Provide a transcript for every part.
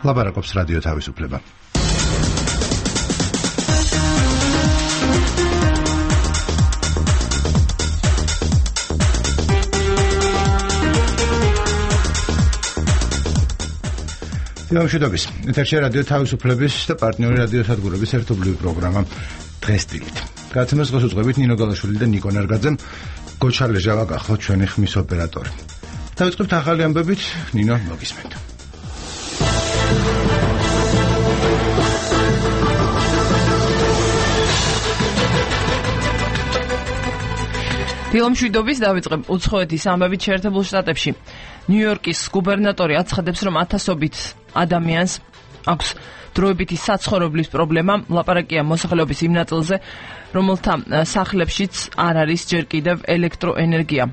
ლაპარაკობს რადიო თავისუფლება. მშვიდობის. ეთერში რადიო თავისუფლების და პარტნიორი რადიო სადგურების ერთობლივი პროგრამა დღესდილით. გადაცემას დღეს უძღვებით ნინო გალაშვილი და ნიკო ნარგაძემ. გოჩალე ჟავა გახლავთ ჩვენი ხმის ოპერატორი. დავიწყებთ ახალი ამბებით, ნინო მოგისმენთ. დილომშვიდობის დავიწყებ უცხოეთის ამბებით შეერთებულ შტატებში. ნიუ-იორკის გუბერნატორი აცხადებს, რომ ათასობით ადამიანს აქვს დროებითი საცხოვრებლის პრობლემა. ლაპარაკია მოსახლეობის იმ ნაწილზე, რომელთა სახლებშიც არ არის ჯერ კიდევ ელექტროენერგია.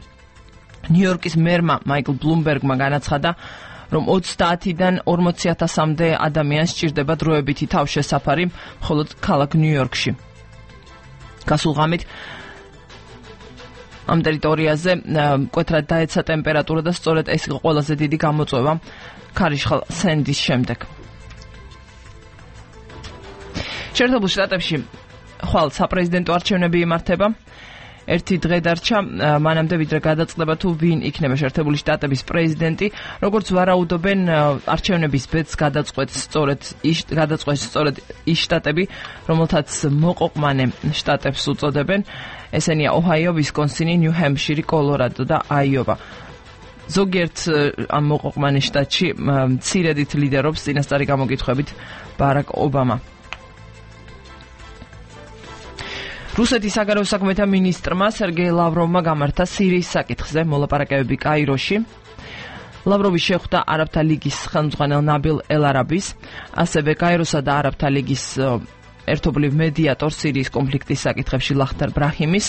ნიუ-იორკის მერმა მაიკლ ბლუმბერგმა განაცხადა, რომ 30-დან 40,000-მდე ადამიანს სჭირდება დროებითი თავშესაფარი მხოლოდ ქალაქ ნიუ-იორკში. გასულ ღამით ამ ტერიტორიაზე მკვეთრად დაეცა ტემპერატურა და სწორედ ეს იყო ყველაზე დიდი გამოწვევა ქარიშხალ სენდის შემდეგ. შეერთებულ შტატებში ხვალ საპრეზიდენტო არჩევნები იმართება. ერთი დღე დარჩა მანამდე, ვიდრე გადაწყდება თუ ვინ იქნება შეერთებული შტატების პრეზიდენტი. როგორც ვარაუდობენ, არჩევნების ბედს გადაწყვეტს სწორედ ის შტატები, რომელთაც მოყოყმანე შტატებს უწოდებენ. ესენია ოჰაიო, ვისკონსინი, ნიუ-ჰემპშირი, კოლორადო და აიოვა. ზოგიერთ ამ მოყოყმანე შტატში მცირედით ლიდერობს წინასწარი გამოკითხვებით ბარაკ ობამა. რუსეთის საგარეო საქმეთა მინისტრმა სერგეი ლავროვმა გამართა სირიის საკითხზე მოლაპარაკებები კაიროში. ლავროვი შეხვდა არაბთა ლიგის ხელმძღვანელ ნაბილ ელ-არაბის, ასევე კაიროსა და არაბთა ლიგის ერთობლივ მედიატორ სირიის კონფლიქტის საკითხებში ლახტარ ბრაჰიმის.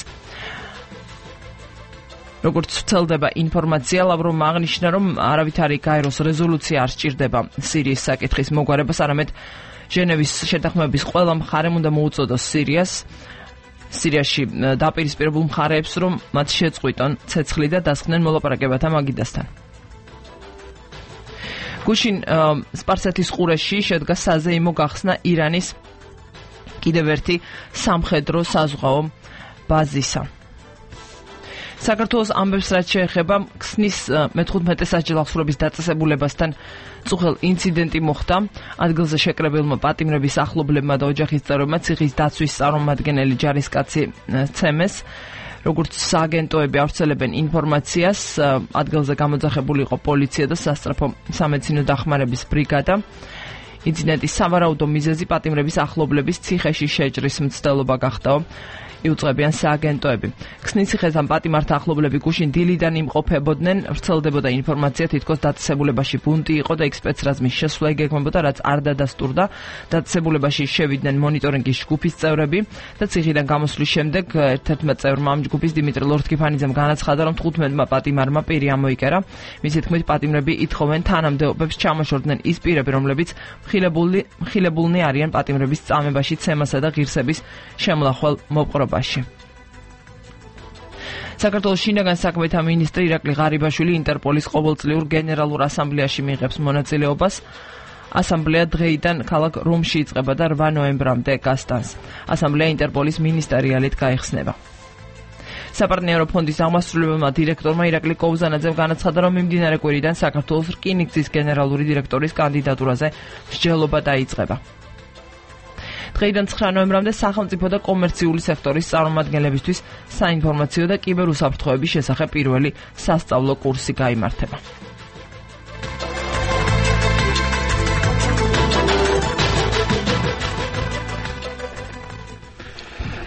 როგორც ვრცელდება ინფორმაცია, ლავროვმა აღნიშნა, რომ არავითარი კაიროს რეზოლუცია არ სჭირდება სირიის საკითხის მოგვარებას, არამედ ჟენევის შეთანხმების ყველა მხარემ უნდა მოუწოდოს სირიაში დაპირისპირებულ მხარეებს, რომ მათ შეწყვიტონ ცეცხლი და დასხდნენ მოლაპარაკებათა მაგიდასთან. გუშინ სპარსეთის ყურეში შედგა საზეიმო გახსნა ირანის კიდევ ერთი სამხედრო საზღვაო ბაზისა. საქართველოს ამბებს რაც შეეხება ქსნის მე-15 საჯელახსოვრების დაწესებულებასთან წუხელ ინციდენტი მოხდა. ადგილზე შეკრებილმა პატიმრების ახლობლებმა და ოჯახის წევრებმა ციხის დაცვის წარმომადგენელი ჯარისკაცი ცემეს. როგორც სააგენტოები ავრცელებენ ინფორმაციას, ადგილზე გამოძახებული იყო პოლიცია და სასწრაფო სამედიცინო დახმარების ბრიგადა. ინციდენტის სავარაუდო მიზეზი პატიმრების ახლობლების ციხეში შეჭრის მცდელობა გახდაო, იუწყებიან სააგენტოები. ქსნის ციხესთან პატიმართა ახლობლები გუშინ დილიდან იმყოფებოდნენ. ვრცელდებოდა ინფორმაცია, თითქოს დაწესებულებაში ბუნტი იყო და იქ სპეცრაზმის შესვლა იგეგმებოდა, რაც არ დადასტურდა. დაწესებულებაში შევიდნენ მონიტორინგის ჯგუფის წევრები და ციხიდან გამოსვლის შემდეგ ერთ-ერთმა წევრმა ამ ჯგუფის დიმიტრი ლორთქიფანიძემ განაცხადა, რომ 15-მა პატიმარმა პირი ამოიკერა. მისი თქმით, პატიმრები ითხოვენ თანამდებობებს ჩამოშორდნენ ის პირები, რომლებიც მხილებულნი არიან პატიმრების წამებაში, ცემასა და ღირსების შემლახვალ მოპყრობ. საქართველოს შინაგან საქმეთა მინისტრი ირაკლი ღარიბაშვილი ინტერპოლის ყოველწლიურ გენერალურ ასამბლეაში მიიღებს მონაწილეობას. ასამბლეა დღეიდან ქალაქ რომში იწყება და 8 ნოემბრამდე გასტანს. ასამბლეა ინტერპოლის მინისტერიალით გაიხსნება. საპარტნიორო ფონდის აღმასრულებელმა დირექტორმა ირაკლი კოუზანაძემ განაცხადა, რომ მიმდინარე კვირიდან საქართველოს რკინიგზის გენერალური დირექტორის კანდიდატურაზე მსჯელობა დაიწყება. დღეიდან 9 ნოემბრამდე სახელმწიფო და კომერციული სექტორის წარმომადგენლებისთვის საინფორმაციო და კიბერუსაფრთხოების შესახებ პირველი სასწავლო კურსი გაიმართება.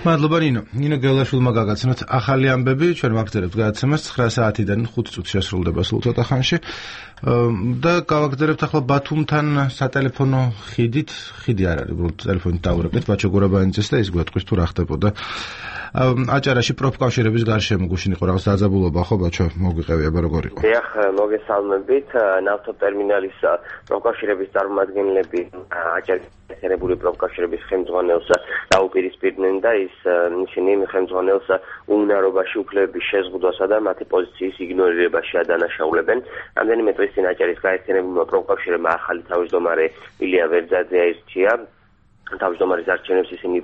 მადლობა ნინო გელაშვილმა გაგაცნოთ ახალი ამბები. ჩვენ ვაგრძელებთ გადაცემას 9 საათიდან 5 წუთი შესრულდება სულ ცოტა ხანში და გავაგრძელებთ ახლა ბათუმთან სატელეფონო ხიდი არ არის, უბრალოდ ტელეფონით დავურეკეთ ბაჩო გურაბანიძეს და ის გვეტყვის თუ რა ხდებოდა. აჭარაში პროფკავშირების გარშემო გუშინ იყო რაღაც დაძაბულობა, ხო ბაჩო, მოგვიყევი აბა როგორ იყო? დიახ, მოგესალმებით. ნავთობტერმინალის პროფკავშირების წარმომადგენლები აჭარის გაერთიანებული პროფკავშირების ხელმძღვანელს დაუპირისპირდნენ და ისინი ხელმძღვანელს უნარობაში უფლებების შეზღუდვასა და მათი პოზიციის იგნორირებაში ადანაშაულებენ. რამდენიმე დღის წინ აჭარის გაერთიანებულმა პროფკავშირებმა ახალი თავმჯდომარე ილია ვერძაძე აირჩია. თავმჯდომარის არჩევნებს ისინი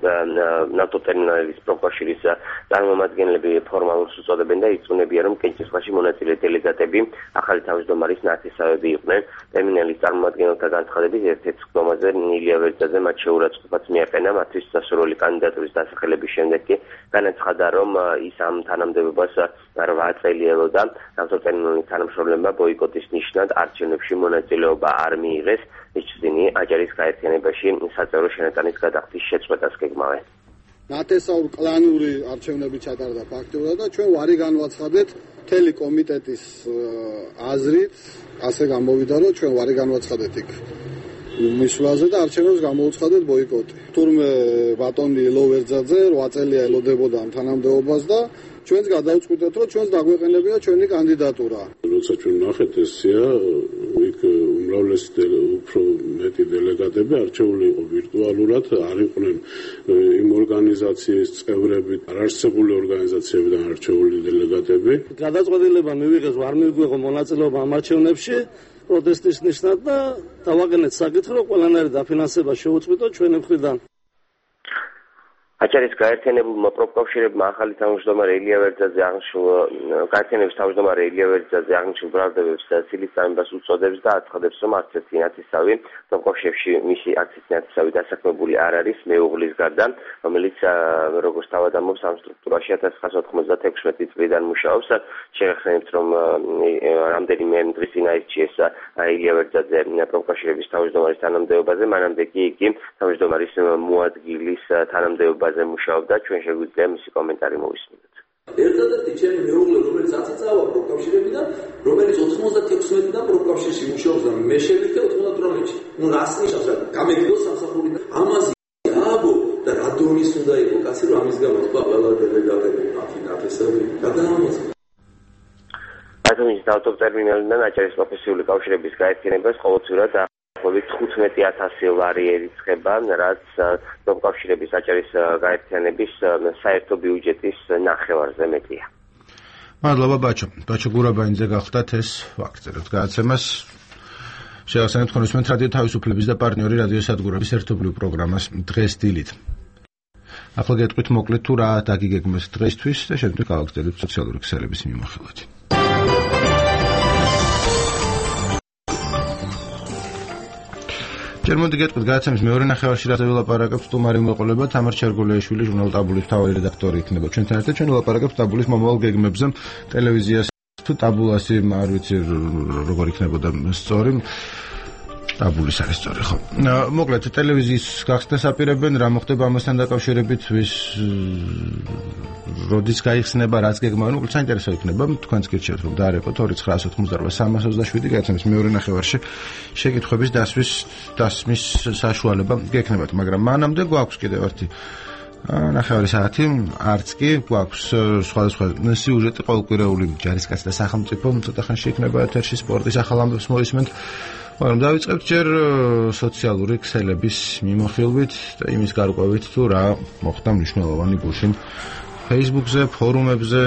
ნავთობტერმინალების პროფკავშირის წარმომადგენლები ფორმალურს უწოდებენ და იწუნებიან, რომ კენჭისყრაში მონაწილე დელეგატები ახალი თავმჯდომარის ნათესავები იყვნენ. ტერმინალის წარმომადგენელთა განცხადებით ერთ-ერთ სხდომაზე ილია ვერძაძე მათ შეურაცხყოფაც მიაყენა მათთვის სასურველი კანდიდატურის დასახელების შემდეგ კი განაცხადა, რომ ის ამ თანამდებობას 8 წელი ელოდა. ნავთობტერმინალის თანამშრომლებმა ბოიკოტის ნიშნად არჩევნებში მონაწილეობა არ მიიღეს. ისინი აჭარის გაერთიანებაში საწევრო შენატანის გადახდის შეწყვეტას გეგმავენ. ნათესაური კლანური არჩევნები ჩატარდა ფაქტურად და ჩვენ ვარი განვაცხადეთ მთელი კომიტეტის აზრით, ასე გამოვიდა, რომ ჩვენ ვარი განვაცხადეთ იქ მისვლაზე და არჩევნებს გამოუცხადეთ ბოიკოტი. თურმე ბატონი ლოვერძაძე 8 წელია ელოდებოდა ამ თანამდებობას და ჩვენს გადავწყვიტეთ, რომ ჩვენს დაგვეყენებინა ჩვენი კანდიდატურა. როცა ჩვენ ნახეთ ესია, იქ უმრავლესი უფრო მეტი დელეგატები არჩეული იყო ვირტუალურად, არ იყვნენ იმ ორგანიზაციის წევრები, არარსებული ორგანიზაციებიდან არჩეული დელეგატები. გადაწყვეტილება მივიღეს, ვარ მივიღო მონაწილეობა ამ არჩევნებში პროტესტის ნიშნად და დავაგენეთ საკითხი, რომ ყველანაირი დაფინანსება შეუწყვიტოთ ჩვენი მხრიდან. აჭარის გაერთიანებულმა პროფკავშირებმა ახალი თავმჯდომარე ილია ვერძაძე გაერთიანების თავმჯდომარე ილია ვერძაძე აღნიშნულ ბრალდებებს სილის წამებას უწოდებს და აცხადებს, რომ არც ერთი ნათესავი პროფკავშირებში მისი არც ერთი ნათესავი დასაქმებული არ არის მეუღლის გარდა, რომელიც როგორც თავად ამბობს ამ სტრუქტურაში 1996 წლიდან მუშაობს. შეგახსენებთ, რომ რამდენიმე დღის წინ აირჩიეს ილია ვერძაძე პროფკავშირების თავმჯდომარის თანამდებობაზე, მანამდე კი იგი თავმჯდომარის მოადგილის თანამდებობა მუშაობდა. ჩვენ შეგვიძლია მისი კომენტარი მოვისმინოთ. ერთადერთი ჩემი მეუღლე, რომელიც 10 წავა პროფკავშირებიდან, რომელიც 96-დან პროფკავშირში მუშაობს და მე შევიდე 98-ში. ნუ რას ნიშნავს რა? გამეგდოს სამსახურიდან. ამაზე აბო და რა დონის უნდა იყო კაცი, რომ ამის გამო თქვა ყველა დელეგატები ნათესავი გადაამოწმა. ათონის ნავთობტერმინალიდან აჭარის პროფესიული კავშირების გაერთიანებას ყოველწლიურად 15,000 ლარი ერიცხება, რაც პროფკავშირების აჭარის გაერთიანების საერთო ბიუჯეტის ნახევარზე მეტია. მადლობა ბაჩო გურაბაინძე გახდათ ეს ვაგრძელებთ გადაცემას. შევასწავლეთ ხონისმენთ რადიო თავისუფლების და პარტნიორი რადიო სადგურების ერთობლივ პროგრამას დღეს დილით. ახლა გეტყვით მოკლედ თუ რა დაგიგეგმეს დღესთვის და შემდეგ გავაგრძელებთ სოციალური ქსელების მიმოხილვით. ჯერ მოდი გეტყვით გადაცემის მეორე ნახევარში რაზე ვილაპარაკებთ. სტუმარი მოყოლება თამარ ჩერგოლეიშვილი, ჟურნალ ტაბულის მთავარი რედაქტორი იქნება ჩვენთან ერთად. ჩვენ ვილაპარაკებთ ტაბულის მომავალ გეგმებზე, ტელევიზიას თუ ტაბულასი არ ვიცი როგორ იქნებოდა სწორი. ტაბულის არის სწორი ხო? მოკლედ ტელევიზიის გახსნას აპირებენ, რა მოხდება ამასთან დაკავშირებით, როდის გაიხსნება, რაც გეგმავენ, უბრალოდ საინტერესო იქნება. თქვენც გირჩევთ რომ დაარეკოთ 2988327 გადაცემის მეორე ნახევარში შეკითხვების დასმის საშუალება გექნებათ, მაგრამ მანამდე გვაქვს კიდევ ერთი ნახევარი საათი, არც კი გვაქვს სხვადასხვა სიუჟეტი ყოველკვირეული ჯარისკაცი და სახელმწიფო, ცოტა ხანში იქნება ეთერში სპორტის ახალ ამბებს მოვისმენთ. მაგრამ დავიწყებთ ჯერ სოციალური ქსელების მიმოხილვით და იმის გარკვევით თუ რა მოხდა მნიშვნელოვანი გუშინ Facebook-ზე, ფორუმებზე,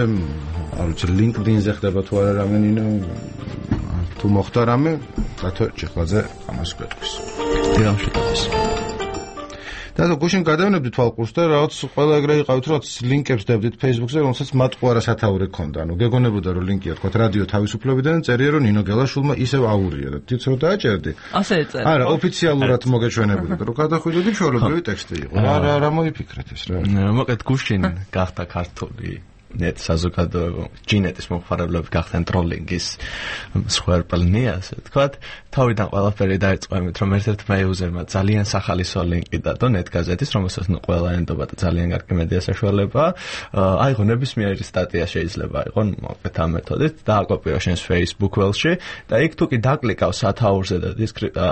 არ ვიცი, LinkedIn-ზე ხდება თუ არა რამე ნინო, თუ მოხდა რამე, რატო ჭეხვაძე ამას გვეტყვის. დიახშიტყვის. და გუშინ გადავნებდით თვალყურს და რაღაც ყველა ეგრე იყავით, რომ ლინკებს დავდით Facebook-ზე, რომელსაც მათ ყوارა სათაური ქონდა. ანუ გეგონებოდა რომ ლინკია თქვა რადიო თავისუფლებიდან, წერია რომ ნინო გელაშვილმა ისევ აურია და თვითონ დააჭერდი. ასე ეწერა. არა, ოფიციალურად მოგეჩვენებოდა, რომ გადახვიდოდი ჩვეულებრივი ტექსტი იყო. რა მოიფიქრეთ ეს რა? მოკლედ გუშინ გახდა ქართული net საზოგადოება ჯინეტის მომხმარებლები გახდნენ ტროლინგის მსხვერპლნი, ასე ვთქვათ. თავიდან ყველაფერი დაიწყო იმით, რომ ერთ-ერთმა იუზერმა ძალიან სახალისო ლინკი დადო net გაზეთის, რომელსაც ყველა ენდობა და ძალიან კარგი მედია საშუალება. აიღო ნებისმიერი სტატია შეიძლება აიღო მოკლედ ამ მეთოდით, დააკოპირო შენს Facebook ველში და იქ თუ კი დაკლიკავ სათაურზე და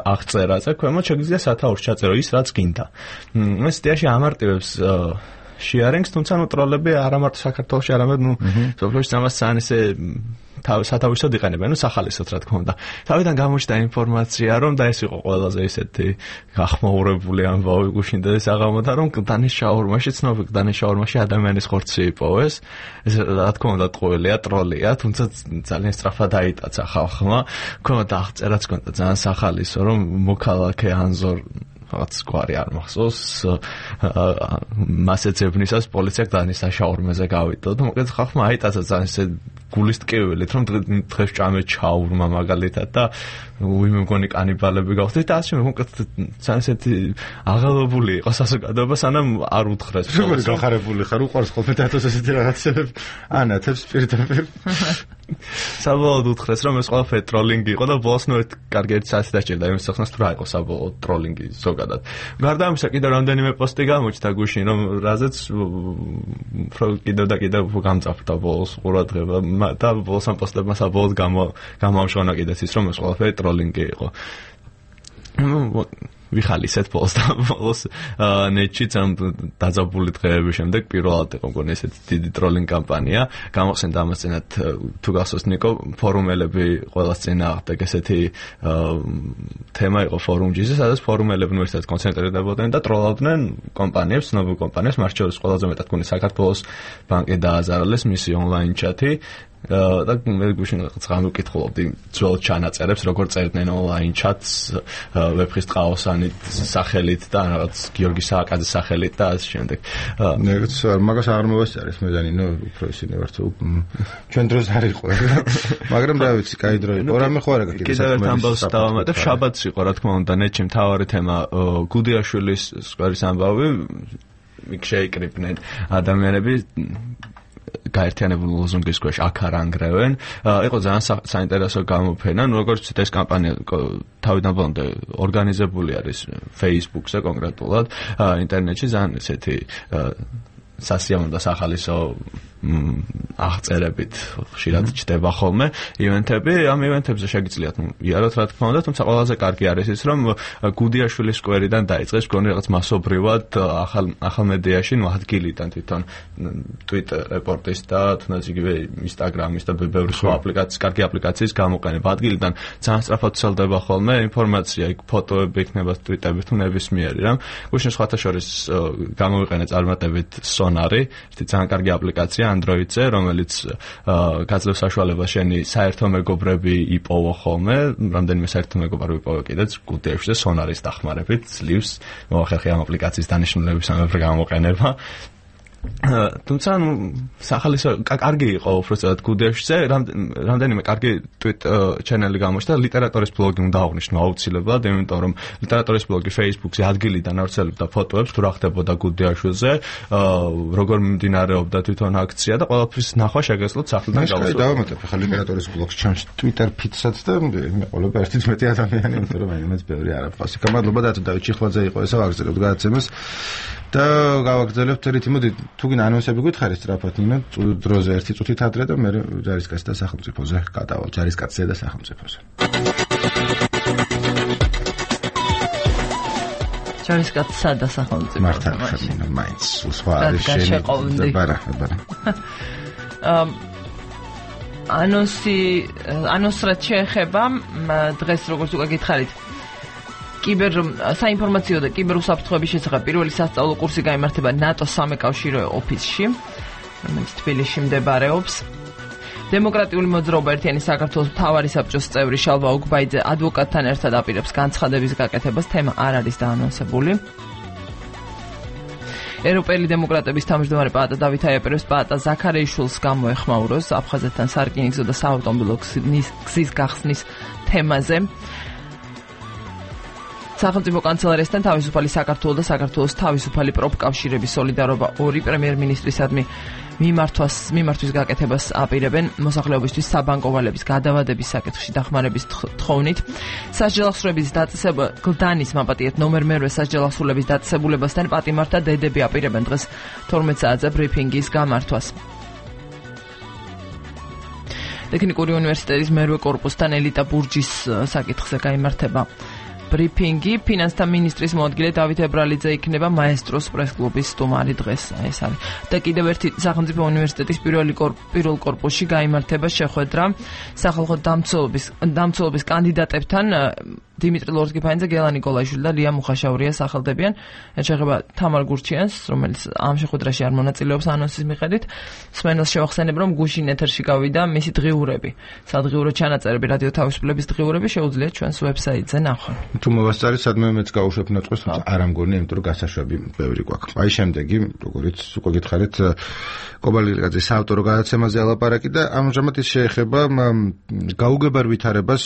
აღწერაზე, ქვემოთ შეგვიძლია სათაურს ჩაწერო ის, რაც გინდა. ეს სტიაში ამარტივებს შეარენგს, თუმცა ტროლები არა მარტო საქართველოში, არამედ სოფლიოში ამას ძალიან ისე სათავისოდ იყენებენ, სახალისოდ რა თქმა უნდა. თავიდან გამოჩნდა ინფორმაცია, რომ და ეს იყო ყველაზე ისეთი გახმაურებული ამბავი გუშინ და ეს აღამოთა, რომ გდანის შაურმაში, ცნობილ გდანის შაურმაში ადამიანის ხორცი იპოვეს. ეს რა თქმა უნდა ტყუილია, ტროლია, თუმცა ძალიან სწრაფად დაიტაცა ხალხმა. ქონდა აღწერაც ქონდა ძალიან სახალისო, რომ მოქალაქე ანზორ რაღაც გვარი არ მახსოვს მასეცებნისას პოლიცია გდანის შაურმაზე გავიდა და მოკლედ ხალხმა აიტაცა ძალიან ესე გულის ტკივილით რომ დღეს ჭამე ჩაურმა მაგალითად და ვინმე მგონი კანიბალები გავხდით და ასე მოკლედ ძალიან ესეთი აღელვებული იყო საზოგადოება სანამ არ უთხრეს როგორ გახარებული ხარ უყარს ხოლმე დათოს ესეთი რაღაცები ანათებს პირდაპირ საბოლოოდ უთხრეს რომ ეს ყველაფერი ტროლინგი იყო და ბოლოს ნუ ერთ კარგი ერთ საათი დაჭირდა იმის სახნას თუ რა იყო საბოლოოდ ტროლინგი ზოგადად გარდა ამისა კიდევ რამდენიმე პოსტი გამოჩნდა გუშინ რომ რაზეც კიდევ და კიდევ გამწაფდა ბოლოს ყურადღება და ბოლოს ამ პოსტებმა საბოლოოდ გამოამშვენა კიდეც ის რომ ეს ყველაფერი ტროლინგი იყო ვიხალისეთ ბოლოს და ბოლოს ნეტშიც ამ დაძაბული დღეების შემდეგ პირველად იყო მგონი ესეთი დიდი ტროლინგ კამპანია გამოხსენდა ამას წინათ თუ გახსოვს ნიკო ფორუმელები ყველას წინ აღდგა ესეთი თემა იყო ფორუმჯიზე სადაც ფორუმელებნი ერთად კონცენტრირდებოდნენ და ტროლავდნენ კომპანიებს ცნობილ კომპანიებს მათ შორის ყველაზე მეტად მგონი საქართველოს ბანკი დააზარალეს მისი ონლაინ ჩათი და მე გუშინ რაღაც ვკითხულობდი ძველ ჩანაწერებს როგორ წერდნენ ონლაინ ჩატს ვეფხის ტყაოსანით სახელით და რაღაც გიორგი სააკაძის სახელით და ასე შემდეგ ნეგაც მაგას არ მოვასწარეს მე დანი ნუ უფრო ისინი ვართ ჩვენ დროს არ იყო მაგრამ რა ვიცი კაი დრო იყო რამე ხო არა კიდევ ერთ ამბავს დავამატებ შაბათს იყო რა თქმა უნდა ნეტში მთავარი თემა გუდიაშვილის სკვერის ამბავი იქ შეიკრიბნენ ადამიანები გაერთიანებული ლოზუნგის ქვეშ აქ არ ანგრევენ. იყო ძალიან საინტერესო გამოფენა, როგორც ვთქვით ეს კამპანია თავიდან ბოლომდე ორგანიზებული არის Facebook-ზე კონკრეტულად, ინტერნეტში ძალიან ესეთი სასიამოვნო და სახალისო აღწერებით ხშირად ჩდება ხოლმე ივენთები, ამ ივენთებზე შეგიძლიათ იაროთ რა თქმა უნდა, თუმცა ყველაზე კარგი არის ის, რომ გუდიაშვილის სკვერიდან დაიწყეს მგონი რაღაც მასობრივად ახალ მედიაში, ნუ ადგილიდან თვითონ Twitter რეპორტის და თუნდაც იგივე Instagram-ის და ბევრი სხვა აპლიკაციის, კარგი აპლიკაციის გამოყენება ადგილიდან ძალიან სწრაფად ვრცელდება ხოლმე ინფორმაცია, იქ ფოტოები იქნება Twitter-ით თუ ნებისმიერი რამ. გუშინ სხვათა შორის გამოვიყენე წარმატებით Sonari, ერთი ძალიან კარგი აპლიკაცია Android-ზე, რომელიც გაძლევს საშუალებას შენი საერთო მეგობრები იპოვო ხოლმე, რამდენიმე საერთო მეგობარი იპოვო კიდეც გუდიაშვილზე Sonaris დახმარებით, ძლივს მოახერხე ამ აპლიკაციის დანიშნულების ამავე გამოყენება. თუმცა სახალისო კარგი იყო უბრალოდ გუდიაშვილზე, რამდენიმე კარგი Twitter ჩანელი გამოჩნდა, ლიტერატურის ბლოგი უნდა აღნიშნო აუცილებლად, იმიტომ რომ ლიტერატურის ბლოგი Facebook-ზე ადგილიდან ავრცელებდა ფოტოებს თუ რა ხდებოდა გუდიაშვილზე, როგორ მიმდინარეობდა თვითონ აქცია და ყველაფრის ნახვა შეგეძლოთ სახლიდან გავასწოროთ. დავამატებ ახლა ლიტერატურის ბლოგს ჩემს Twitter feed-საც და მეყოლება 1.1 ადამიანი, იმიტომ რომ მაინც ბევრი არ აქვს. გამადლობა დათო დავით ჩიხლაძე იყო ესა ვაგრძელებთ გადაცემას და გავაგრძელებთ ერთი მოდი თუ გინდა ანონსები გითხარი სწრაფად ნინო დროზე ერთი წუთით ადრე და მე ჯარისკაცი და სახელმწიფოზე გადავალ ჯარისკაცზე და სახელმწიფოზე ჯარისკაცსა და სახელმწიფოზე მართლა ხარ მაინც სხვა არის შენი ბარა ანონსრად შეეხება დღეს როგორც უკვე გითხარით კიბერ საინფორმაციო და კიბერუსაფრთხოების შესახებ პირველი სასწავლო კურსი გაიმართება ნატოს სამეკავშირო ოფისში, რომელიც თბილისში მდებარეობს. დემოკრატიული მოძრაობა ერთიანი საქართველოს მთავარი საბჭოს წევრი შალვა უგბაიძე ადვოკატთან ერთად აპირებს განცხადების გაკეთებას, თემა არ არის დაანონსებული. ევროპელი დემოკრატების თავმჯდომარე პაატა დავით აიაპირებს პაატა ზაქარეიშვილს გამოეხმაუროს აფხაზეთთან სარკინიგზო და საავტომობილო გზის გახსნის თემაზე. სახელმწიფო კანცელარიასთან თავისუფალი საქართველოს და საქართველოს თავისუფალი პროფკავშირების სოლიდარობა ორი პრემიერ-მინისტრისადმი მიმართვის გაკეთებას აპირებენ მოსახლეობისთვის საბანკო ვალების გადავადების საკითხში დახმარების თხოვნით. სასჯელ აღსრულების დაწესება გლდანის მაპატიეთ ნომერ მერვე სასჯელ აღსრულების დაწესებულებასთან პატიმართა დედები აპირებენ დღეს 12 საათზე ბრიფინგის გამართვას. ტექნიკური უნივერსიტეტის მერვე კორპუსთან ელიტა ბურჯის საკითხზე გაიმართება ბრიფინგი. ფინანსთა მინისტრის მოადგილე დავით ებრალიძე იქნება მაესტროს პრესკლუბის სტუმარი დღეს. ეს არის. და კიდევ ერთი სახელმწიფო უნივერსიტეტის პირველ კორპუსში გაიმართება შეხვედრა სახალხო დამცველობის კანდიდატებთან. დიმიტრი ლორთგიფანიძე, გელა ნიკოლაიშვილი და ლია მუხაშაურია სახელდებიან. ეხება თამარ გურჩიანს, რომელიც ამ შეხვედრაში არ მონაწილეობს ანონსის მიხედვით. სმენელს შევახსენებ, რომ გუშინ ეთერში გავიდა მისი დღიურები. სადღიურო ჩანაწერები, რადიო თავისუფლების დღიურები შეუძლიათ ჩვენს ვებსაიტზე ნახონ. თუ მოვასწარი, სადმე მეც გავუშვებ ნაწყვეს, თუმცა არ ამგონია, იმიტომ რომ გასაშვები ბევრი გვაქვს. აი შემდეგი, როგორც უკვე გითხარით, კობალირკაძის საავტორო გადაცემაზე ალაპარაკი და ამჟამად ის შეეხება გაუგებარ ვითარებას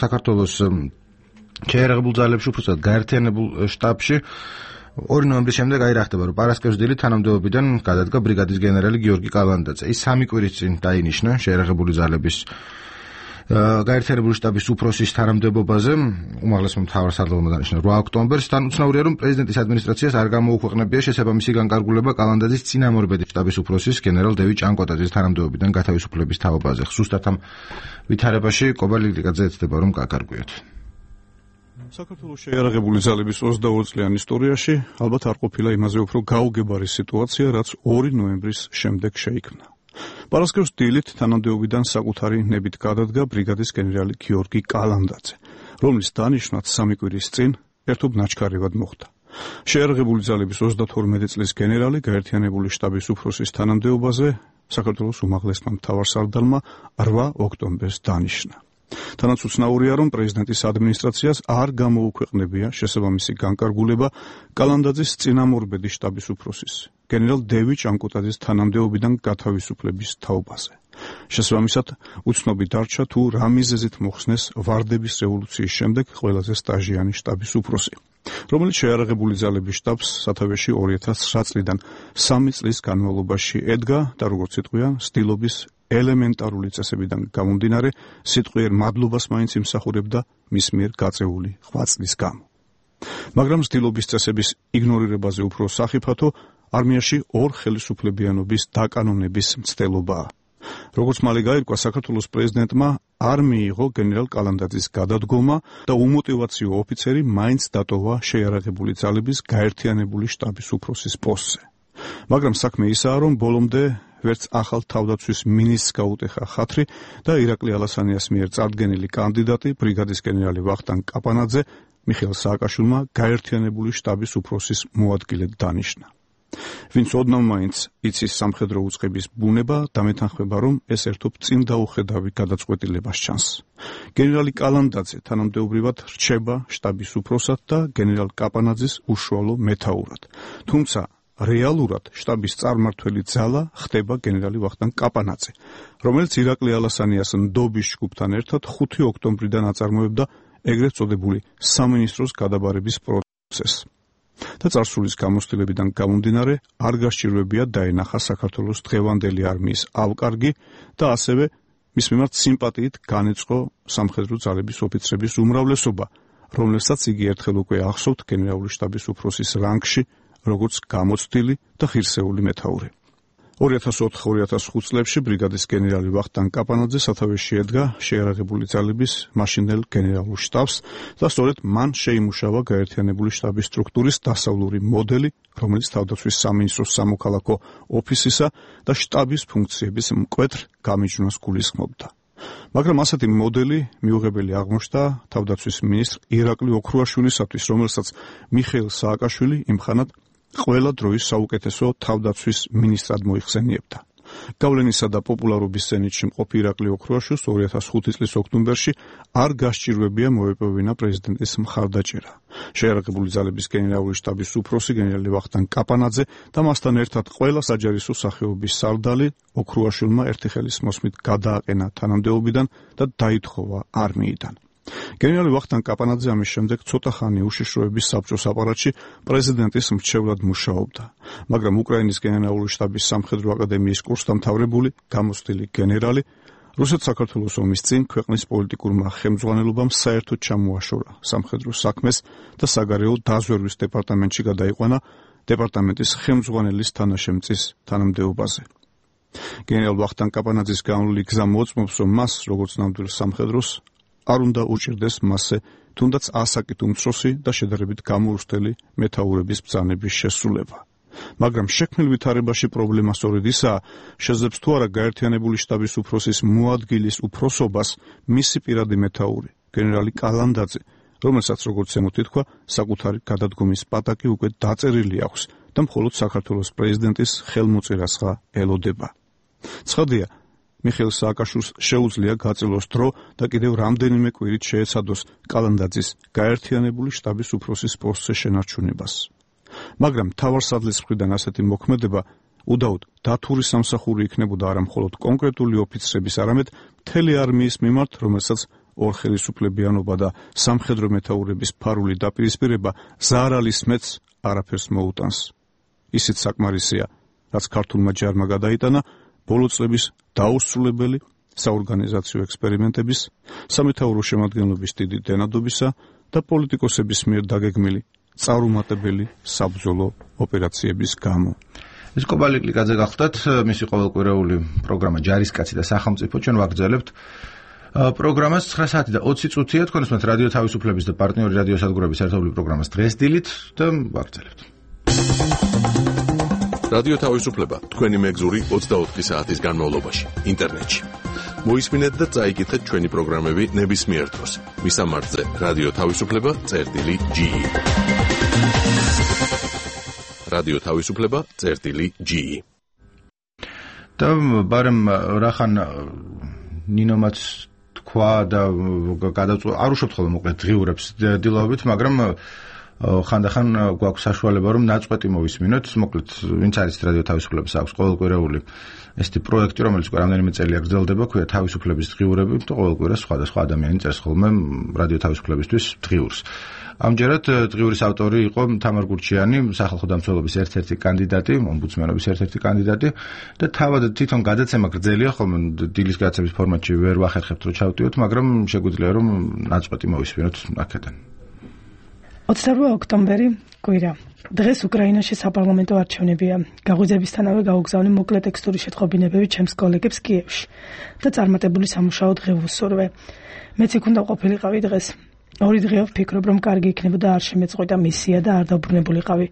საქართველოს შეიარაღებულ ძალებში, უბრალოდ გაერთიანებულ შტაბში 2 ნოემბრის შემდეგ რა ხდება, რომ პარასკევს დილით თანამდებობიდან გადადგა ბრიგადის გენერალი გიორგი კალანდაძე. ის 3 კვირის წინ დაინიშნა შეიარაღებული ძალების გაერთიანებული შტაბის უფროსის თანამდებობაზე, უმაღლესმა მთავარსარდალმა დანიშნა 8 ოქტომბერს. თან უცნაურია, რომ პრეზიდენტის ადმინისტრაციას არ გამოუქვეყნებია შესაბამისი განკარგულება კალანდაძის წინამორბედი შტაბის უფროსის გენერალ დევიდ ჭანკოტაძის თანამდებობიდან გათავისუფლების თაობაზე. ზუსტად ამ ვითარებაში კობალირკაძე ეცდება, რომ გაკარგვიოთ. საქართველოს შეიარაღებული ძალების 22 წლიან ისტორიაში ალბათ არ ყოფილა იმაზე უფრო გაუგებარი სიტუაცია, რაც 2 ნოემბრის შემდეგ შეიქმნა. პარასკევს დილით თანამდებობიდან საკუთარი ნებით გადადგა ბრიგადის გენერალი გიორგი კალანდაძე, რომლის დანიშვნაც 3 კვირის წინ ერთობ ნაჩქარევად მოხდა. შეიარაღებული ძალების 32 წლის გენერალი გაერთიანებული შტაბის უფროსის თანამდებობაზე საქართველოს უმაღლესმა მთავარსარდალმა 8 ოქტომბერს დანიშნა. თანაც უცნაურია, რომ პრეზიდენტის ადმინისტრაციას არ გამოუქვეყნებია შესაბამისი განკარგულება კალანდაძის წინამორბედი შტაბის უფროსის გენერალ დევიდ ჭანკოტაძის თანამდებობიდან გათავისუფლების თაობაზე. შესაბამისად, უცნობი დარჩა თუ რა მიზეზით მოხსნეს ვარდების რევოლუციის შემდეგ ყველაზე სტაჟიანი შტაბის უფროსი, რომელიც შეიარაღებული ძალების შტაბს სათავეში 2009 წლიდან 3 წლის განმავლობაში ედგა და როგორც იტყვიან, სტილობის ელემენტარული წესებიდან გამომდინარე, სიტყვიერ მადლობას მაინც იმსახურებდა მის მიერ გაწეული 8 წლის გამო. მაგრამ სტილობის წესების იგნორირებაზე უფრო სახიფათო არმიაში 2 ხელისუფლებიანობის დაკანონების მცდელობაა. როგორც მალე გაირკვა, საქართველოს პრეზიდენტმა არ მიიღო გენერალ კალანდაძის გადადგომა და უმოტივაციო ოფიცერი მაინც დატოვა შეიარაღებული ძალების გაერთიანებული შტაბის უფროსის პოსტზე. მაგრამ საქმე ისაა, რომ ბოლომდე ვერც ახალ თავდაცვის მინისტრს გაუტეხა ხათრი და ირაკლი ალასანიას მიერ წარდგენილი კანდიდატი ბრიგადის გენერალი ვახტანგ კაპანაძე მიხეილ სააკაშვილმა გაერთიანებული შტაბის უფროსის მოადგილედ დანიშნა. ვინც ოდნავ მაინც იცის სამხედრო უწყების ბუნება, დამეთანხმება, რომ ეს ერთობ წინ დაუხედავი გადაწყვეტილებას ჩანს. გენერალი კალანდაძე თანამდებობრივად რჩება შტაბის უფროსად და გენერალ კაპანაძის უშუალო მეთაურად. თუმცა რეალურად შტაბის წარმმართველი ძალა ხდება გენერალი ვახტანგ კაპანაძე, რომელიც ირაკლი ალასანიას ნდობის ჯგუფთან ერთად 5 ოქტომბრიდან აწარმოებდა ეგრეთ წოდებული სამინისტროს გადაბარების პროცესს. და წარსულის გამოცდილებიდან გამომდინარე, არ გასჭირვებია დაენახა საქართველოს დღევანდელი არმიის ავკარგი და ასევე მის მიმართ სიმპათიით განეწყო სამხედრო ძალების ოფიცრების უმრავლესობა, რომლებსაც იგი ერთხელ უკვე ახსოვთ გენერალური შტაბის უფროსის რანგში, როგორც გამოცდილი და ხირსეული მეთაური. 2004-2005 წლებში ბრიგადის გენერალი ვახტანგ კაპანაძე სათავეში ედგა შეიარაღებული ძალების მაშინდელ გენერალურ შტაბს და სწორედ მან შეიმუშავა გაერთიანებული შტაბის სტრუქტურის დასავლური მოდელი, რომელიც თავდაცვის სამინისტროს სამოქალაქო ოფისისა და შტაბის ფუნქციების მკვეთრ გამიჯვნას გულისხმობდა. მაგრამ ასეთი მოდელი მიუღებელი აღმოჩნდა თავდაცვის მინისტრ ირაკლი ოქრუაშვილისათვის, რომელსაც მიხეილ სააკაშვილი იმხანად ყველა დროის საუკეთესო თავდაცვის მინისტრად მოიხსენიებდა. გავლენისა და პოპულარობის ზენიტში მყოფი ირაკლი ოქრუაშვილს 2005 წლის ოქტომბერში არ გასჭირვებია მოეპოვინა პრეზიდენტის მხარდაჭერა. შეიარაღებული ძალების გენერალური შტაბის უფროსი გენერალი ვახტანგ კაპანაძე და მასთან ერთად ყველა საჯარისო სახეობის სარდალი ოქრუაშვილმა ერთი ხელის მოსმით გადააყენა თანამდებობიდან და დაითხოვა არმიიდან. გენერალი ვახტანგ კაპანაძე ამის შემდეგ ცოტა ხანი უშიშროების საბჭოს აპარატში პრეზიდენტის მრჩევლად მუშაობდა, მაგრამ უკრაინის გენერალური შტაბის სამხედრო აკადემიის კურსდამთავრებული, გამოცდილი გენერალი რუსეთ-საქართველოს ომის წინ ქვეყნის პოლიტიკურმა ხელმძღვანელობამ საერთოდ ჩამოაშორა სამხედრო საქმეს და საგარეო დაზვერვის დეპარტამენტში გადაიყვანა დეპარტამენტის ხელმძღვანელის თანაშემწის თანამდებობაზე. გენერალ ვახტანგ კაპანაძის განვლილი გზა მოწმობს, რომ მას, როგორც ნამდვილ სამხედროს, არ უნდა უჭირდეს მასზე თუნდაც ასაკით უმცროსი და შედარებით გამორუსტელი მეთაურების ბრძანების შესრულება. მაგრამ შექმნილ ვითარებაში პრობლემა სწორედ ისაა, შეძლებს თუ არა გაერთიანებული შტაბის უფროსის მოადგილის უფროსობას მისი პირადი მეთაური, გენერალი კალანდაძე, რომელსაც როგორც ზემოთ ითქვა, საკუთარი გადადგომის პატაკი უკვე დაწერილი აქვს და მხოლოდ საქართველოს პრეზიდენტის ხელმოწერასღა ელოდება. ცხადია, მიხეილ სააკაშვილს შეუძლია გაწილოს დრო და კიდევ რამდენიმე კვირით შეეცადოს კალანდაძის გაერთიანებული შტაბის უფროსის პოსტზე შენარჩუნებას. მაგრამ მთავარსარდლის მხრიდან ასეთი მოქმედება უდაოდ დათური სამსახური იქნებოდა არა მხოლოდ კონკრეტული ოფიცრების, არამედ მთელი არმიის მიმართ, რომელსაც ორხელისუფლებიანობა და სამხედრო მეთაურების ფარული დაპირისპირება ზარალის მეც არაფერს მოუტანს. ისიც საკმარისია, რაც ქართულმა ჯარმა გადაიტანა ბოლო წლების დაუსრულებელი საორგანიზაციო ექსპერიმენტების, სამეთაურო შემადგენლობის დიდი დენადობისა და პოლიტიკოსების მიერ დაგეგმილი წარუმატებელი საბრძოლო ოპერაციების გამო. ეს კობალი კლიკაძე გახლდათ, მისი ყოველკვირეული პროგრამა ჯარისკაცი და სახელმწიფო. ჩვენ ვაგრძელებთ პროგრამას 9 საათი და 20 წუთია, თქვენ უსმენთ რადიო თავისუფლების და პარტნიორი რადიოსადგურების ერთობლივი პროგრამას დღეს დილით და ვაგრძელებთ. რადიო თავისუფლება თქვენი მეგზური 24 საათის განმავლობაში ინტერნეტში. მოისმინეთ და წაიკითხეთ ჩვენი პროგრამები ნებისმიერ დროს. მისამართზე რადიო თავისუფლება.ge. რადიო თავისუფლება.ge. და ბარემ რახან ნინომაც თქვა და გადაწყვეტა, არ უშვებთ ხოლმე მოკლედ დღიურებს დილაობით, მაგრამ ხანდახან გვაქვს საშუალება რომ ნაწყვეტი მოვისმინოთ, მოკლედ ვინც არის რადიო თავისუფლების აქვს ყოველკვირეული ესეთი პროექტი, რომელიც უკვე რამდენიმე წელია გრძელდება, ქვია თავისუფლების დღიურები და ყოველკვირა სხვადასხვა ადამიანი წერს ხოლმე რადიო თავისუფლებისთვის დღიურს. ამჯერად დღიურის ავტორი იყო თამარ გურჩიანი, სახალხო დამცველობის ერთ-ერთი კანდიდატი, ომბუდსმენობის ერთ-ერთი კანდიდატი და თავად თვითონ გადაცემა გრძელია ხოლმე დილის გადაცემის ფორმატში ვერ ვახერხებთ რომ ჩავტიოთ, მაგრამ შეგვიძლია რომ ნაწყვეტი მოვისმინოთ აქედან. 28 ოქტომბერი კვირა. დღეს უკრაინაში საპარლამენტო არჩევნებია. გაღვიძებისთანავე გაუგზავნე მოკლე ტექსტური შეტყობინებები ჩემს კოლეგებს კიევში და წარმატებული სამუშაო დღე ვუსურვე. მეც იქ უნდა ყოფილიყავი დღეს. ორი დღეა ვფიქრობ, რომ კარგი იქნებოდა არ შემეწყვეტა მისია და არ დაუბრუნებულიყავი.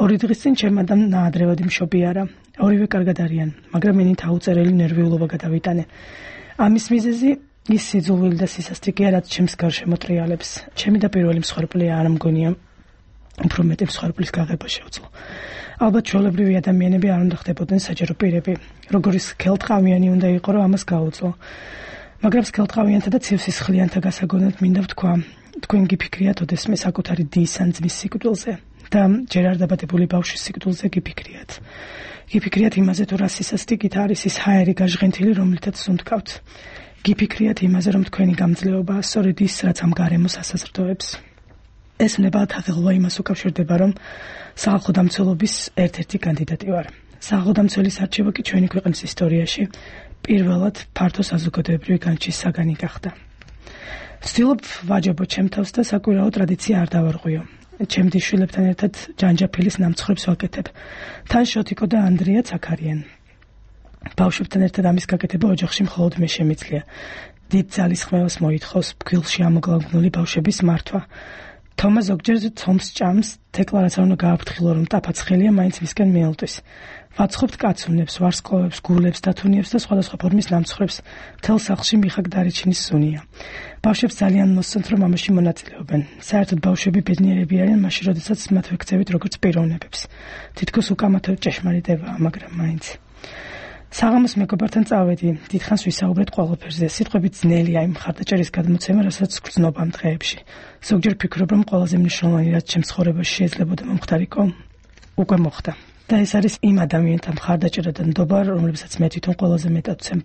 ორი დღის წინ ჩემ ადამ ნაადრევად იმშობი არა. ორივე კარგად არიან, მაგრამ მენი თაუწერელი ნერვიულობა გადავიტანე. ამის მიზეზი ის სიძულვილი და სისასტიკეა, რაც ჩემს გარშემო ტრიალებს. ჩემი და პირველი მსხვერპლია არ მგონია. უფრო მეტი მსხვერპლის გაღება შეუძლო. ალბათ ჩვეულებრივი ადამიანები არ უნდა ხდებოდნენ საჯარო პირები. როგორი სქელტყავიანი უნდა იყო, რომ ამას გაუძლო. მაგრამ სქელტყავიანთა და ცივსისხლიანთა გასაგონად მინდა ვთქვა, თქვენ გიფიქრიათ ოდესმე საკუთარი დის ან ძმის სიკვდილზე და ჯერ არ დაბადებული ბავშვის სიკვდილზე გიფიქრიათ. გიფიქრიათ იმაზე, თუ რა სისასტიკით არის ის ჰაერი გაჟღენთილი, რომლითაც სუნთქავთ. გიფიქრიათ იმაზე, რომ თქვენი გამძლეობა სწორედ ის, რაც ამ გარემოს ასაზრდოებს. ეს ნებად აღელვა იმას უკავშირდება, რომ სახალხო დამცველობის ერთ-ერთი კანდიდატი ვარ. სახალხო დამცველის არჩევა კი ჩვენი ქვეყნის ისტორიაში პირველად ფართო საზოგადოებრივი განჩის საგანი გახდა. ვცდილობ ვაჯობო ჩემ თავს და საკვირაო ტრადიცია არ დავარღვიო. ჩემ დიშვილებთან ერთად ჯანჯაფილის ნამცხრებს ვაკეთებ. თან შოთიკო და ანდრიაც აქ არიან. ბავშვებთან ერთად ამის გაკეთება ოჯახში მხოლოდ მე შემიძლია. დიდ ძალისხმევას მოითხოვს ფქვილში ამოგლავგნული ბავშვების მართვა. თომა ზოგჯერ ცომს ჭამს, დეკლარაცია უნდა გააფრთხილო, რომ ტაფაცხელია მაინც მისკენ მიელტვის. ვაცხობთ კაცუნებს, ვარსკვლავებს, გულებს, დათუნიებს და სხვადასხვა ფორმის ნამცხრებს. მთელ სახლში მიხაკ დარიჩინის სუნია. ბავშვებს ძალიან მოსწონთ, რომ ამაში მონაწილეობენ. საერთოდ ბავშვები ბედნიერები არიან მაშინ, როდესაც მათ ვექცევით როგორც პიროვნებებს. თითქოს უკამათო ჭეშმარიტებაა, მაგრამ მაინც. საღამოს მეგობართან წავედი, დიდხანს ვისაუბრეთ ყველაფერზე. სიტყვები ძნელია იმ მხარდაჭერის გადმოცემა, რასაც გრძნობ ამ დღეებში. ზოგჯერ ფიქრობ, რომ ყველაზე მნიშვნელოვანი, რაც ჩემს ცხოვრებაში შეიძლებოდა მომხდარიყო, უკვე მოხდა. და ეს არის იმ ადამიანთა მხარდაჭერა და ნდობა, რომლებსაც მე თვითონ ყველაზე მეტად ვცემ.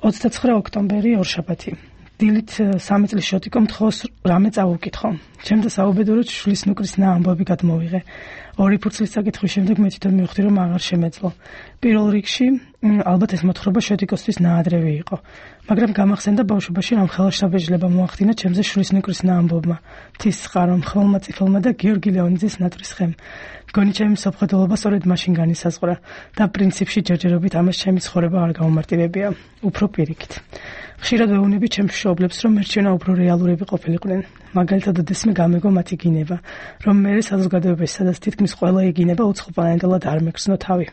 29 ოქტომბერი ორშაბათი. დილით 3 წლის შოტიკო მთხოვს რამე წავუკითხო. ჩემ და საუბედუროთ შვილის ნუკრის ამბავი გადმოვიღე. ორი ფურცლის საკითხვის შემდეგ მე თვითონ მივხვდი, რომ აღარ შემეძლო. პირველ რიგში ალბათ ეს მოთხრობა შეთიკოსთვის ნაადრევი იყო, მაგრამ გამახსენდა ბავშვობაში რამ ხელშაბეჭდილება მოახდინა ჩემზე შვილის ნეკრის ამბობმა, მთის წყარომ, ხმელმა წიფელმა და გიორგი ლეონიძის ნატრის ხემ. მგონი ჩემი მსოფლმხედველობა სწორედ მაშინ განისაზღვრა და პრინციპში ჯერჯერობით ამას ჩემი ცხოვრება არ გაუმარტივებია, უფრო პირიქით. ხშირად ვეუბნები ჩემს მშობლებს, რომ მერჩენა უფრო რეალურები ყოფილიყვნენ. მაგალითად, ოდესმე გამეგო მათი გინება, რომ მე საზოგადოებაში, სადაც თითქმის ყველა იგინება უცხოპლანეტელად არ მეგრძნო თავი.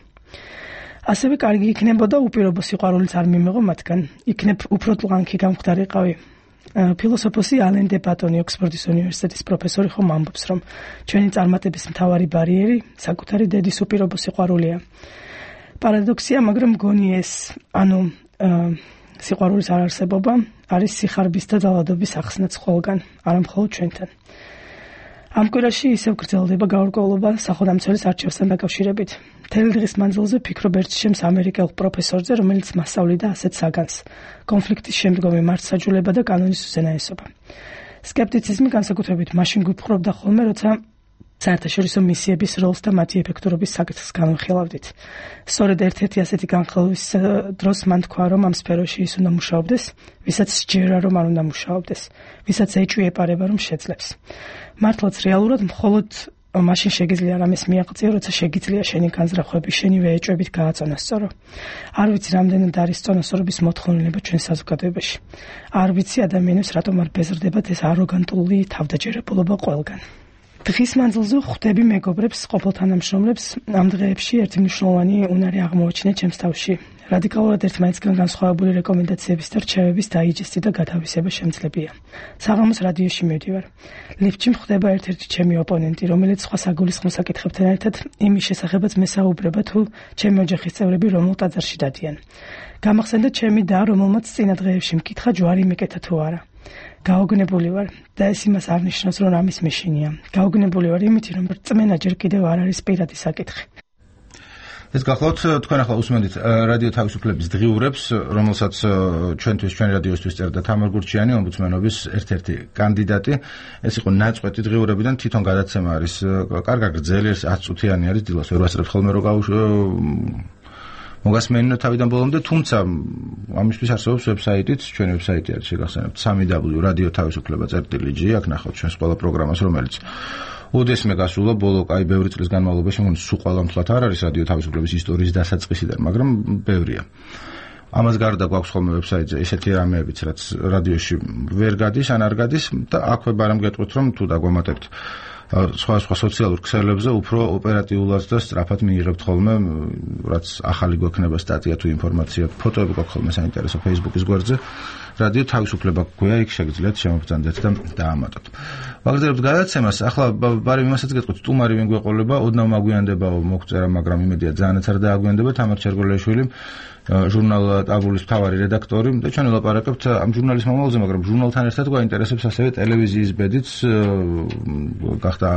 ასევე კარგი იქნებოდა უპირობო სიყვარულიც არ მიმეღო მათგან. იქნებ უფრო ტლანქი გამხდარიყავი. ფილოსოფოსი ალენ დე ბატონი ოქსფორდის უნივერსიტეტის პროფესორი ხომ ამბობს, რომ ჩვენი წარმატების მთავარი ბარიერი საკუთარი დედის უპირობო სიყვარულია. პარადოქსია, მაგრამ მგონი ეს, სიყვარულის არარსებობა არის სიხარბის და ძალადობის ახსნაც ყველგან, არა მხოლოდ ჩვენთან. ამ კვირაში ისევ გრძელდება გაურკვევლობა სახელმწიფოს არჩევასთან დაკავშირებით. მთელი დღის მანძილზე ფიქრობ ერთ შემს ამერიკელ პროფესორზე, რომელიც მასწავლიდა ასეთ საგანს: კონფლიქტის შემდგომი მართლმსაჯულება და კანონის უზენაესობა. სკეპტიციზმი განსაკუთრებით მაშინ გვიფხრობდა ხოლმე, როცა საერთაშორისო მისიების როლს და მათი ეფექტურობის საკითხს განვიხილავდით. სწორედ ერთ-ერთი ასეთი განხილვის დროს მან თქვა, რომ ამ სფეროში ის უნდა მუშაობდეს, ვისაც სჯერა, რომ არ უნდა მუშაობდეს, ვისაც ეჭვი ეპარება, რომ შეძლებს. მართლაც რეალურად მხოლოდ მაშინ შეგიძლია რამეს მიაღწიო, როცა შეგიძლია შენი განზრახვები შენივე ეჭვებით გააწონასწორო. არ ვიცი, რამდენად არის წონასწორობის მოთხოვნილება ჩვენ საზოგადოებაში. არ ვიცი, ადამიანებს რატომ არ ბეზრდებათ ეს აროგანტული თავდაჯერებულობა ყველგან. დღის მანძილზე ხვდები მეგობრებს, ყოფილ თანამშრომლებს, ამ დღეებში ერთი მნიშვნელოვანი უნარი აღმოაჩინე ჩემს თავში. რადიკალურად ერთმანეთისგან განსხვავებული რეკომენდაციების და რჩევების დაიჯესტი და გათავისება შემძლებია. საღამოს რადიოში მივდივარ. ლიფტში მხვდება ერთ-ერთი ჩემი ოპონენტი, რომელიც სხვა საგულისხმო საკითხებთან ერთად იმის შესახებაც მესაუბრება, თუ ჩემი ოჯახის წევრები რომელ ტაძარში დადიან. გამახსენდა ჩემი და, რომელმაც წინა დღეებში მკითხა ჯვარი მეკეთა თუ არა. გაოგნებული ვარ და ეს იმას არ ნიშნავს, რომ ამის მეშინია. გაოგნებული ვარ იმითი, რომ რწმენა ჯერ კიდევ არ არის პირადი საკითხი. ეს გახლავთ თქვენ ახლა უსმენთ რადიო თავისუფლების დღიურებს, რომელსაც ჩვენთვის ჩვენ რადიოსთვის წერდა თამარ გურჩიანი, ომბუდსმენობის ერთ-ერთი კანდიდატი. ეს იყო ნაწყვეტი დღიურებიდან, თვითონ გადაცემა არის კარგად გრძელი, 10 წუთიანი არის, დილას ვერ ვასწრებთ ხოლმე რომ მოგასმენინო თავიდან ბოლომდე, თუმცა ამისთვის არსებობს ვებსაიტიც, ჩვენი ვებსაიტი არის შეგახსენებთ www.radioთავისუფლება.gi, აქ ნახავთ ჩვენს ყველა პროგრამას, რომელიც ოდესმე გასულა ბოლო ბევრი წლის განმავლობაში, სულ ყველა მთლად არ არის რადიო თავისუფლების ისტორიის დასაწყისიდან, მაგრამ ბევრია. ამას გარდა გვაქვს ხოლმე ვებსაიტზე ესეთი რამეებიც, რაც რადიოში ვერ გადის, ან არ გადის და აქვე ბარემ გეტყვით, რომ თუ დაგვამატებთ სხვა სოციალურ ქსელებზე უფრო ოპერატიულად და სწრაფად მიიღებთ ხოლმე, რაც ახალი გვექნება სტატია თუ ინფორმაცია, ფოტოები გვაქვს ხოლმე საინტერესო Facebook-ის გვერდზე. რადიო თავისუფლება გვია, იქ შეგიძლიათ შემობრძანდეთ და დაამატოთ. ვაგრძელებთ გადაცემას. ახლა ბარემ იმასაც გეტყვით, სტუმარი ვინ გვეყოლება, ოდნავ მაგვიანდებაო მოგწერა, მაგრამ იმედია ძალიანაც არ დააგვიანდება. თამარ ჩერგოლიაშვილი, ჟურნალ ტაბულის მთავარი რედაქტორი და ჩვენ ველაპარაკებთ ამ ჟურნალის მომავალზე, მაგრამ ჟურნალთან ერთად გვაინტერესებს ასევე ტელევიზიის ბედიც, გახდა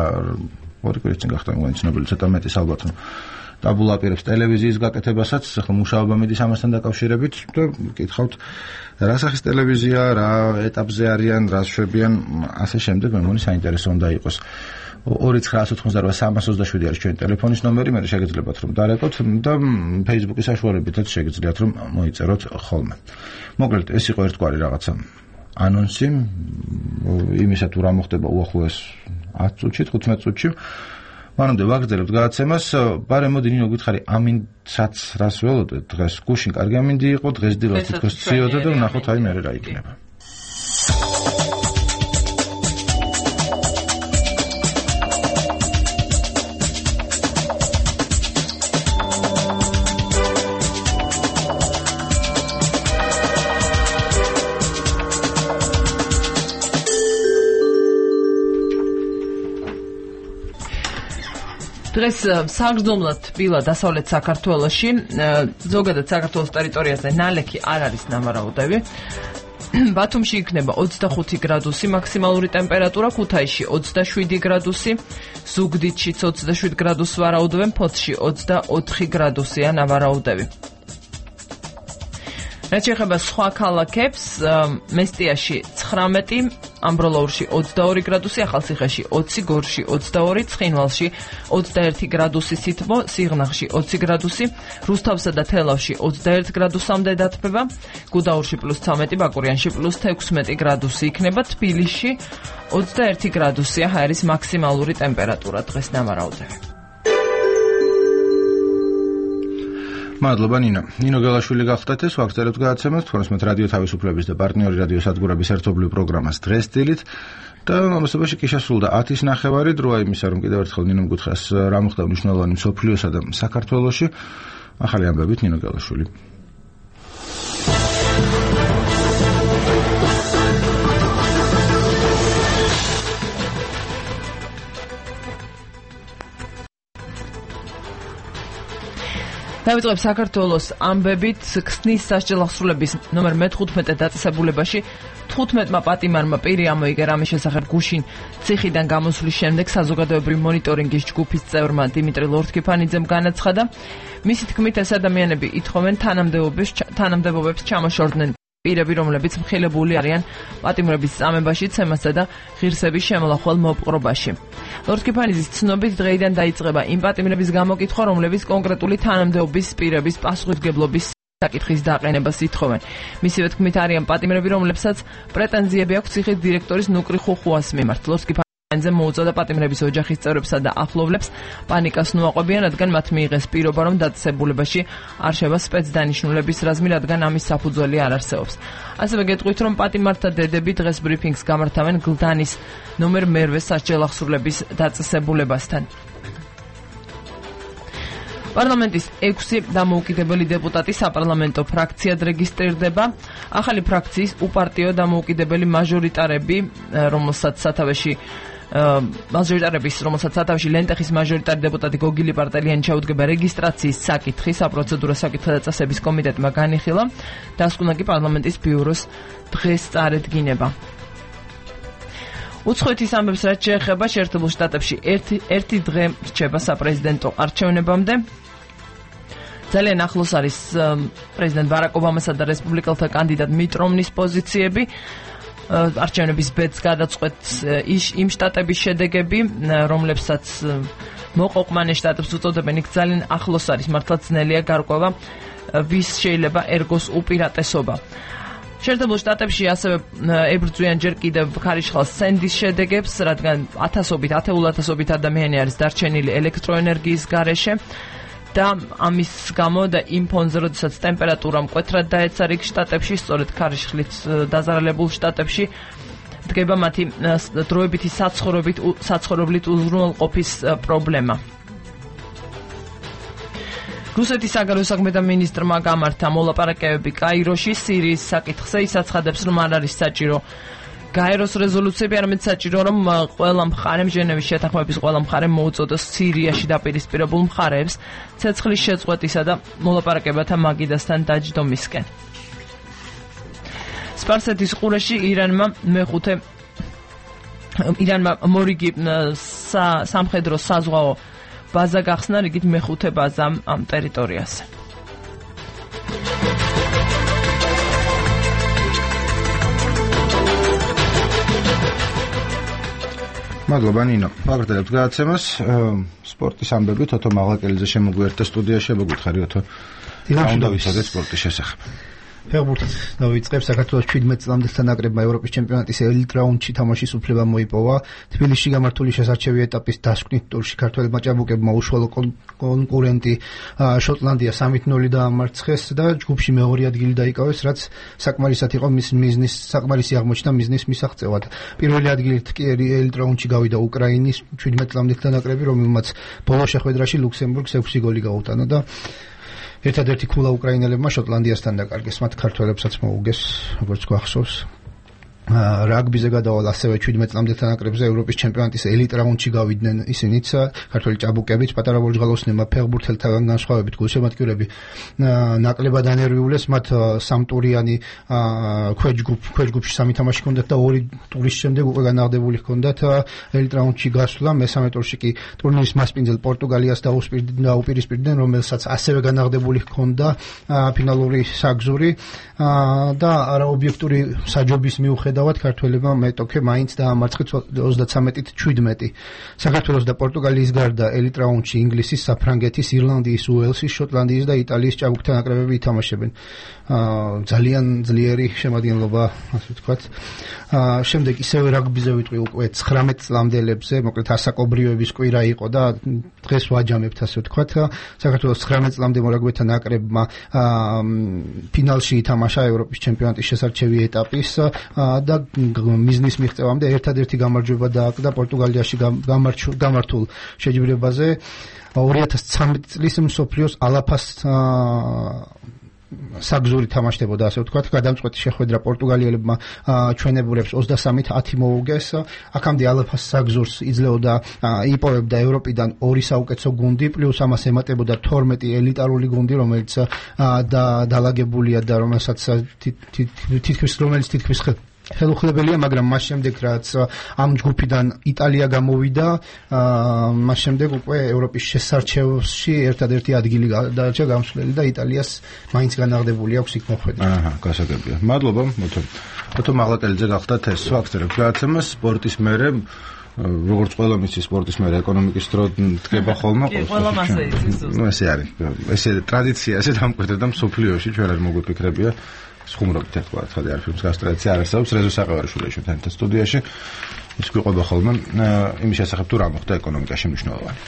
ორი კვირის წინ გახდა იმგვარი ცნობილი, ცოტა მეტის ალბათ, რომ ტაბულა აპირებს ტელევიზიის გაკეთებასაც, ახლა მუშაობა მიდის ამასთან დაკავშირებით და გითხავთ რა სახის ტელევიზია, რა ეტაპზე არიან, რა შვებიან, ასე შემდეგ, მე მგონი საინტერესო უნდა იყოს. 2988327 არის ჩვენი ტელეფონის ნომერი, მე შეგიძლიათ რომ დარეკოთ და Facebook-ის საშუალებითაც შეგიძლიათ რომ მოიწეროთ ხოლმე. მოკლედ, ეს იყო ერთგვარი რაღაცა ანონსი იმისა თუ რა მოხდება უახლოეს 10 წუთში, 15 წუთში. მანამდე ვაგრძელებთ გადაცემას. ბარემ მოდი ნინო გითხარი, ამინდსაც რას ველოდეთ დღეს? გუშინ კარგი ამინდი იყო, დღეს დილას თითქოს ციოდა და ვნახოთ აი მე რა იქნება. დღეს საგრძნობლად ბილა დასავლეთ საქართველოში, ზოგადად საქართველოს ტერიტორიაზე ნალექი არ არის ნავარაუდები. ბათუმში იქნება 25 გრადუსი მაქსიმალური ტემპერატურა, ქუთაისში 27 გრადუსი, ზუგდიდშიც 27 გრადუსს ვარაუდობენ, ფოთში 24 გრადუსია ნავარაუდები. რაც შეეხება სხვა ქალაქებს, მესტიაში 19, ამბროლაურში 22 გრადუსი, ახალციხეში 20, გორში 22, ცხინვალში 21 გრადუსი სითბო, სიღნაღში 20 გრადუსი, რუსთავსა და თელავში 21 გრადუსამდე დათბება, გუდაურში +13, ბაკურიანში +16 გრადუსი იქნება, თბილისში 21 გრადუსია ჰაერის მაქსიმალური ტემპერატურა დღეს ნავარაუდები. მადლობა ნინო გელაშვილი გახდათ ეს ვაგრძელებთ გადაცემას თორემ რადიო თავისუფლების და პარტნიორი რადიო სადგურების ერთობლივ პროგრამას დღეს დილით და ამასობაში კი შესრულდა 10:09 დროა იმისა რომ კიდევ ერთხელ ნინომ გითხრას რა მოხდა მნიშვნელოვანი მსოფლიოსა და საქართველოში ახალი ამბებით ნინო გელაშვილი დავიწყებ საქართველოს ამბებით ქსნის სასჯელ აღსრულების ნომერ მე-15 დაწესებულებაში 15-მა პატიმარმა პირი ამოიგა რამის შესახებ გუშინ ციხიდან გამოსვლის შემდეგ საზოგადოებრივი მონიტორინგის ჯგუფის წევრმა დიმიტრი ლორთქიფანიძემ განაცხადა მისი თქმით ეს ადამიანები ითხოვენ თანამდებობებს ჩამოშორდნენ პირები რომლებიც მხილებული არიან პატიმრების წამებაში ცემასა და ღირსების შემოლახვალ მოპყრობაში. ლორთქიფანიძის ცნობით დღეიდან დაიწყება იმ პატიმრების გამოკითხვა, რომლებიც კონკრეტული თანამდებობის პირების პასუხისმგებლობის საკითხის დაყენებას ითხოვენ. მისივე თქმით არიან პატიმრები, რომლებსაც პრეტენზიები აქვს ციხის დირექტორის ნუკრი ხუხუას მიმართ. ლორთქიფანიძე მოუწოდა პატიმრების ოჯახის წევრებსა და ახლობლებს პანიკას ნუაყვებიან, რადგან მათ მიიღეს პირობა, რომ დაწესებულებაში არ შევა სპეცდანიშნულების რაზმი, რადგან ამის საფუძველი არ არსებობს. ასევე გეტყვით, რომ პატიმართა დედები დღეს ბრიფინგს გამართავენ გლდანის ნომერ მე-8 სასჯელ აღსრულების დაწესებულებასთან. პარლამენტის 6 დამოუკიდებელი დეპუტატი საპარლამენტო ფრაქციად რეგისტრირდება. ახალი ფრაქციის უპარტიო დამოუკიდებელი მაჟორიტარები, რომელსაც სათავეში ლენტეხის მაჟორიტარი დეპუტატი გოგილი პარტელიანი ჩაუდგება რეგისტრაციის საკითხი, საპროცედურო საკითხთა დაწესების კომიტეტმა განიხილა. დასკვნა კი პარლამენტის ბიუროს დღეს წარედგინება. უცხოეთის ამბებს რაც შეეხება შეერთებულ შტატებში ერთი დღე რჩება საპრეზიდენტო არჩევნებამდე. ძალიან ახლოს არის პრეზიდენტ ბარაკ ობამასა და რესპუბლიკელთა კანდიდატ მიტ რომნის პოზიციები. არჩევნების ბედს გადაწყვეტს იმ შტატების შედეგები, რომლებსაც მოყოყმანე შტატებს უწოდებენ, იქ ძალიან ახლოს არის, მართლა ძნელია გარკვევა, ვის შეიძლება ერგოს უპირატესობა. შეერთებულ შტატებში ასევე ებრძვიან ჯერ კიდევ ქარიშხალ სენდის შედეგებს, რადგან ათეულათასობით ადამიანი არის დარჩენილი ელექტროენერგიის გარეშე. და ამის გამო და იმ ფონზე, როდესაც ტემპერატურა მკვეთრად დაეცა რიგ შტატებში, სწორედ ქარიშხლით დაზარალებულ შტატებში დგება მათი დროებითი საცხოვრებლით უზრუნველყოფის პრობლემა. რუსეთის საგარეო საქმეთა მინისტრმა გამართა მოლაპარაკებები კაიროში სირიის საკითხზე, ის აცხადებს, რომ არ არის საჭირო გაეროს რეზოლუციები, არამედ საჭირო, რომ ყველა მხარემ ჟენევის შეთანხმების ყველა მხარემ მოუწოდოს სირიაში დაპირისპირებულ მხარეებს ცეცხლის შეწყვეტისა და მოლაპარაკებათა მაგიდასთან დაჯდომისკენ. სპარსეთის ყურეში ირანმა მორიგი სამხედრო საზღვაო ბაზა გახსნა, რიგით მეხუთე ბაზა ამ ტერიტორიაზე. მადლობა ნინო. ვაგრძელებთ გადაცემას. სპორტის ამბები თოთო მაღლაკელიძე შემოგვიერთდა სტუდიაში, მოგვითხარი თო. უნდა ვიცოდეთ სპორტის შესახებ. ფეხბურთით დავიწყებ. საქართველოს 17 წლამდელთა ნაკრებმა ევროპის ჩემპიონატის ელიტ რაუნდში თამაშის უფლება მოიპოვა. თბილისში გამართული შესარჩევი ეტაპის დასკვნით ტურში ქართველებმა ჭაბუკებმა უშუალო კონკურენტი შოტლანდია 3-0 დაამარცხეს და ჯგუფში მეორე ადგილი დაიკავეს, რაც საკმარისად იყო საკმარისი აღმოჩნდა მიზნის მისაღწევად. პირველი ადგილით კი ელიტ რაუნდში გავიდა უკრაინის 17 წლამდელთა ნაკრები, რომელმაც ბოლო შეხვედრაში ლუქსემბურგს 6 გოლი გაუტანა და ერთადერთი ქულა უკრაინელებმა შოტლანდიასთან დაკარგეს, მათ ქართველებსაც მოუგეს, როგორც გვახსოვს. რაგბიზე გადავალ ასევე 17 წლამდე თანაკრებზე ევროპის ჩემპიონატის ელიტ რაუნდში გავიდნენ ისინიც ქართველი ჭაბუკებიც პატარა ვოჯღალოსნებმა ფეხბურთელთაგან განსხვავებით გულშემატკივრები ნაკლებად ანერვიულეს მათ სამტურიანი ქვეჯგუფში სამი თამაში ჰქონდათ და ორი ტურის შემდეგ უკვე განაღდებული ჰქონდათ ელიტ რაუნდში გასვლა მესამე ტურში კი ტურნირის მასპინძელ პორტუგალიას დაუპირისპირდნენ რომელსაც ასევე განაღდებული ჰქონდა ფინალური საგზური და არაობიექტური საჯობის მიუხედავად ქართველებმა მეტოქე მაინც დაამარცხეს 33-17. საქართველოს და პორტუგალიის გარდა ელიტ რაუნდში ინგლისის, საფრანგეთის, ირლანდიის, უელსის, შოტლანდიის და იტალიის ჭაბუკთა ნაკრებები ითამაშებენ. ძალიან ძლიერი შემადგენლობა, ასე ვთქვათ. შემდეგ ისევე რაგბიზე ვიტყვი უკვე 19 წლამდელებზე, მოკლედ ასაკობრივების კვირა იყო და დღეს ვაჯამებთ, ასე ვთქვათ. საქართველოს 19 წლამდე მორაგბეთა ნაკრებმა ფინალში ითამაშა ევროპის ჩემპიონატის შესარჩევი ეტაპის და მიზნის მიღწევამდე ერთადერთი გამარჯვება დააკდა პორტუგალიაში გამართულ შეჯიბრებაზე 2013 წლის მსოფლიოს ალაფას საგზური თამაშდებოდა ასე ვთქვათ გადამწყვეტი შეხვედრა პორტუგალიელებმა ჩვენებურებს 23-10 მოუგეს აქამდე ალაფას საგზურს იძლეოდა იპოვებდა ევროპიდან ორი საუკეთესო გუნდი პლუს ამას ემატებოდა 12 ელიტარული გუნდი რომელიც დალაგებულია და რომელიც თითქმის ხელუხლებელია, მაგრამ მას შემდეგ რაც ამ ჯგუფიდან იტალია გამოვიდა, მას შემდეგ უკვე ევროპის შესარჩევში ერთადერთი ადგილი დარჩა გამსვლელი და იტალიას მაინც განაღდებული აქვს იქ მოხვედრა. გასაგებია. მადლობა, მოთო მაღლაკელიძე გახდათ ეს ვაქცერებს გადაცემა სპორტის მერე როგორც ყველა მისი სპორტის მერე ეკონომიკის დრო დგება ხოლმე. კი, ყველა მასე იცის. ესე არის. ესე ტრადიცია, ესე დამკვიდრდა და მსოფლიოში ჩვენ არ მოგვიფიქრებია. ხუმრობთ ერთგვარად ხადი არ ფილმს გასტრაცია არ არსებობს რეზო საყევარიშვილი ჩვენთან სტუდიაში ის გვიყვება ხოლმე იმის შესახებ თუ რა მოხდა ეკონომიკაში მნიშვნელოვანი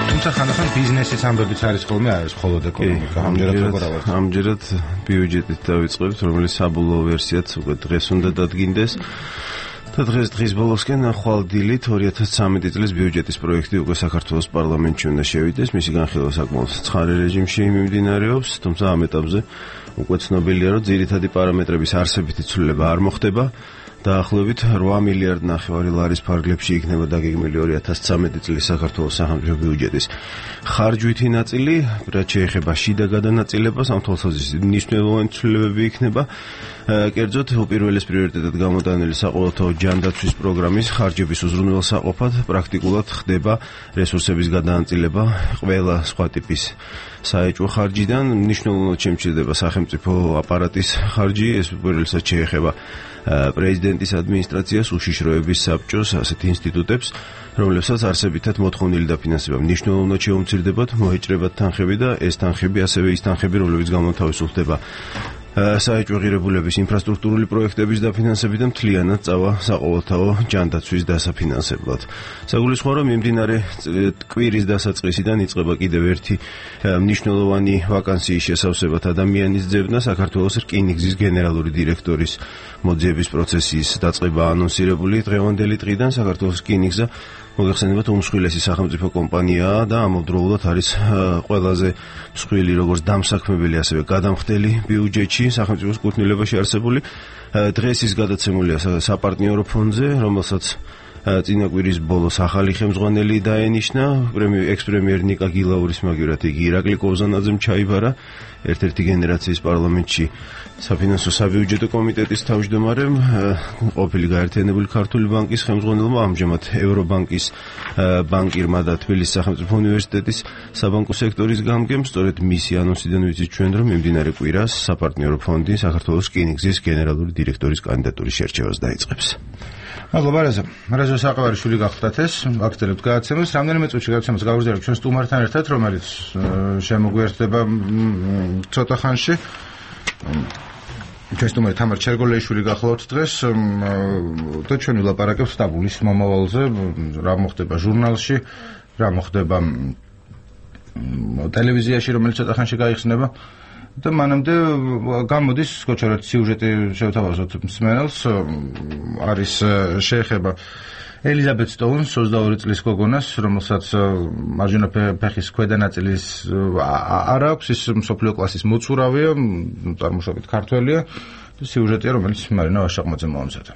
თუმცა ხანდახან ბიზნესის ამბებიც არის ხოლმე არის მხოლოდ ეკონომიკა ამჯერად ბიუჯეტით დავიწყებთ რომელიც საბოლოო ვერსიაც უკვე დღეს უნდა დადგინდეს დღეს ბოლოსკენ ხვალდილით 2013 წლის ბიუჯეტის პროექტი უკვე საქართველოს პარლამენტში უნდა შევიდეს. მისი განხილვა საკმაოდ ცხარე რეჟიმში მიმდინარეობს, თუმცა ამ ეტაპზე უკვე ცნობილია, რომ ძირითადი პარამეტრების არსებითი ცვლილება არ მოხდება. დაახლოებით 8 მილიარდ ნახევარი ლარის ფარგლებში იქნება დაგეგმილი 2013 წლის საქართველოს სახელმწიფო ბიუჯეტის ხარჯვითი ნაწილი, რაც შეეხება შიდა გადანაწილებას, ამ თვალსაზრისით მნიშვნელოვანი ცვლილებები იქნება. კერძოდ უპირველეს პრიორიტეტად გამოტანილი საყოველთაო ჯანდაცვის პროგრამის ხარჯების უზრუნველსაყოფად პრაქტიკულად ხდება რესურსების გადანაწილება ყველა სხვა ტიპის საეჭვო ხარჯიდან. მნიშვნელოვნად შემცირდება სახელმწიფო აპარატის ხარჯი, ეს უპირველესად შეეხება პრეზიდენტის ადმინისტრაციას, უშიშროების საბჭოს, ასეთ ინსტიტუტებს, რომლებსაც არსებითად მოთხოვნილი დაფინანსება მნიშვნელოვნად შეუმცირდებათ, მოეჭრებათ თანხები და ეს თანხები ასევე ის თანხები, რომლებიც გამოთავისუფლდება საეჭვო ღირებულების ინფრასტრუქტურული პროექტების დაფინანსებით და მთლიანად წავა საყოველთაო ჯანდაცვის დასაფინანსებლად. საგულისხმოა, რომ მიმდინარე კვირის დასაწყისიდან იწყება კიდევ ერთი მნიშვნელოვანი ვაკანსიის შესავსებად ადამიანის ძებნა საქართველოს რკინიგზის გენერალური დირექტორის მოძიების პროცესის დაწყება ანონსირებული დღევანდელი დღიდან საქართველოს რკინიგზა მოგეხსენებათ უმსხვილესი სახელმწიფო კომპანიაა და ამავდროულად არის ყველაზე მსხვილი როგორც დამსაქმებელი ასევე გადამხდელი ბიუჯეტში სახელმწიფოს კუთვნილებაში არსებული. დღეს ის გადაცემულია საპარტნიორო ფონდზე, რომელსაც წინა კვირის ბოლოს ახალი ხელმძღვანელი დაენიშნა, ექს-პრემიერ ნიკა გილაურის მაგივრად იგი ირაკლი კოვზანაძემ ჩაიბარა, ერთ-ერთი გენერაციის პარლამენტში საფინანსო საბიუჯეტო კომიტეტის თავმჯდომარემ, ყოფილი გაერთიანებული ქართული ბანკის ხელმძღვანელმა, ამჟამად ევრობანკის ბანკირმა და თბილისის სახელმწიფო უნივერსიტეტის საბანკო სექტორის გამგემ, სწორედ მისი ანონსიდან ვიცით ჩვენ, რომ მიმდინარე კვირას საპარტნიორო ფონდი საქართველოს რკინიგზის გენერალური დირექტორის კანდიდატურის შერჩევას დაიწყებს. მადლობა რეზო საყევარიშვილი გახდათ ეს ვაქცერებთ გადაცემას რამდენიმე წუთში გადაცემას გავაგრძელებთ ჩვენ სტუმართან ერთად რომელიც შემოგვიერთდება ცოტა ხანში ჩვენ სტუმარი თამარ ჩერგოლეიშვილი გახლავთ დღეს და ჩვენ ვილაპარაკებთ სტაბულის მომავალზე რა მოხდება ჟურნალში რა მოხდება ტელევიზიაში რომელიც ცოტა ხანში გაიხსნება და მანამდე გამოდის სკოჩერად სიუჟეტი შევთავაზოთ მსმენელს არის შეეხება ელიზაბეთ სტოუნს 22 წლის გოგონას, რომელსაც მარჯვენა ფეხის ქვედა ნაწილის არ აქვს, ის მსოფლიო კლასის მოცურავია, წარმოშობით ქართველია. სიუჟეტია, რომელიც მარინა ვაშაყმაძემ მოამზადა.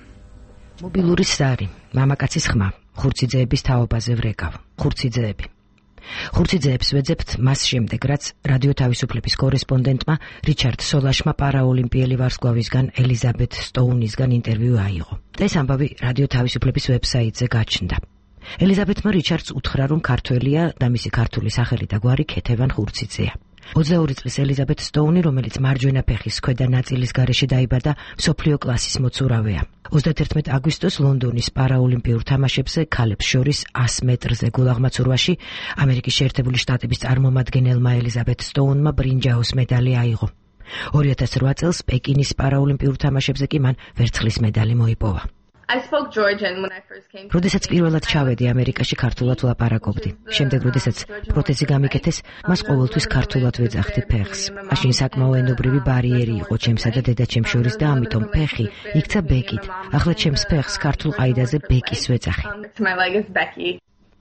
მობილური სარი, მამაკაცის ხმა, ხურციძეების თაობაზე ვრეკავ. ხურციძეებს ვეძებთ მას შემდეგ, რაც რადიო თავისუფლების კორესპონდენტმა რიჩარდ სოლაშმა პარაოლიმპიელი ვარსკვლავისგან ელიზაბეთ სტოუნისგან ინტერვიუ აიღო. და ეს ამბავი რადიო თავისუფლების ვებსაიტზე გაჩნდა. ელიზაბეთმა რიჩარდს უთხრა, რომ ქართველია და მისი ქართული სახელი და გვარი ქეთევან ხურციძეა. 22 წლის ელიზაბეთ სტოუნი, რომელიც მარჯვენა ფეხის ქვედა ნაწილის გარეშე დაიბადა, მსოფლიო კლასის მოცურავეა. 31 აგვისტოს ლონდონის პარაოლიმპიურ თამაშებზე ქალებს შორის 100 მეტრზე გულაღმაცურვაში ამერიკის შეერთებული შტატების წარმომადგენელმა ელიზაბეთ სტოუნმა ბრინჯაოს მედალი აიღო. 2008 წელს პეკინის პარაოლიმპიურ თამაშებზე კი მან ვერცხლის მედალი მოიპოვა. როდესაც პირველად ჩავედი ამერიკაში, ქართულად ვლაპარაკობდი. შემდეგ, როდესაც პროთეზი გამიკეთეს, მას ყოველთვის ქართულად ვეძახდი ფეხს. მაშინ საკმაო ენობრივი ბარიერი იყო ჩემსა და დედაჩემს შორის და ამიტომ ფეხი იქცა ბეკით. ახლა ჩემს ფეხს ქართულ ყაიდაზე ბეკის ვეძახი.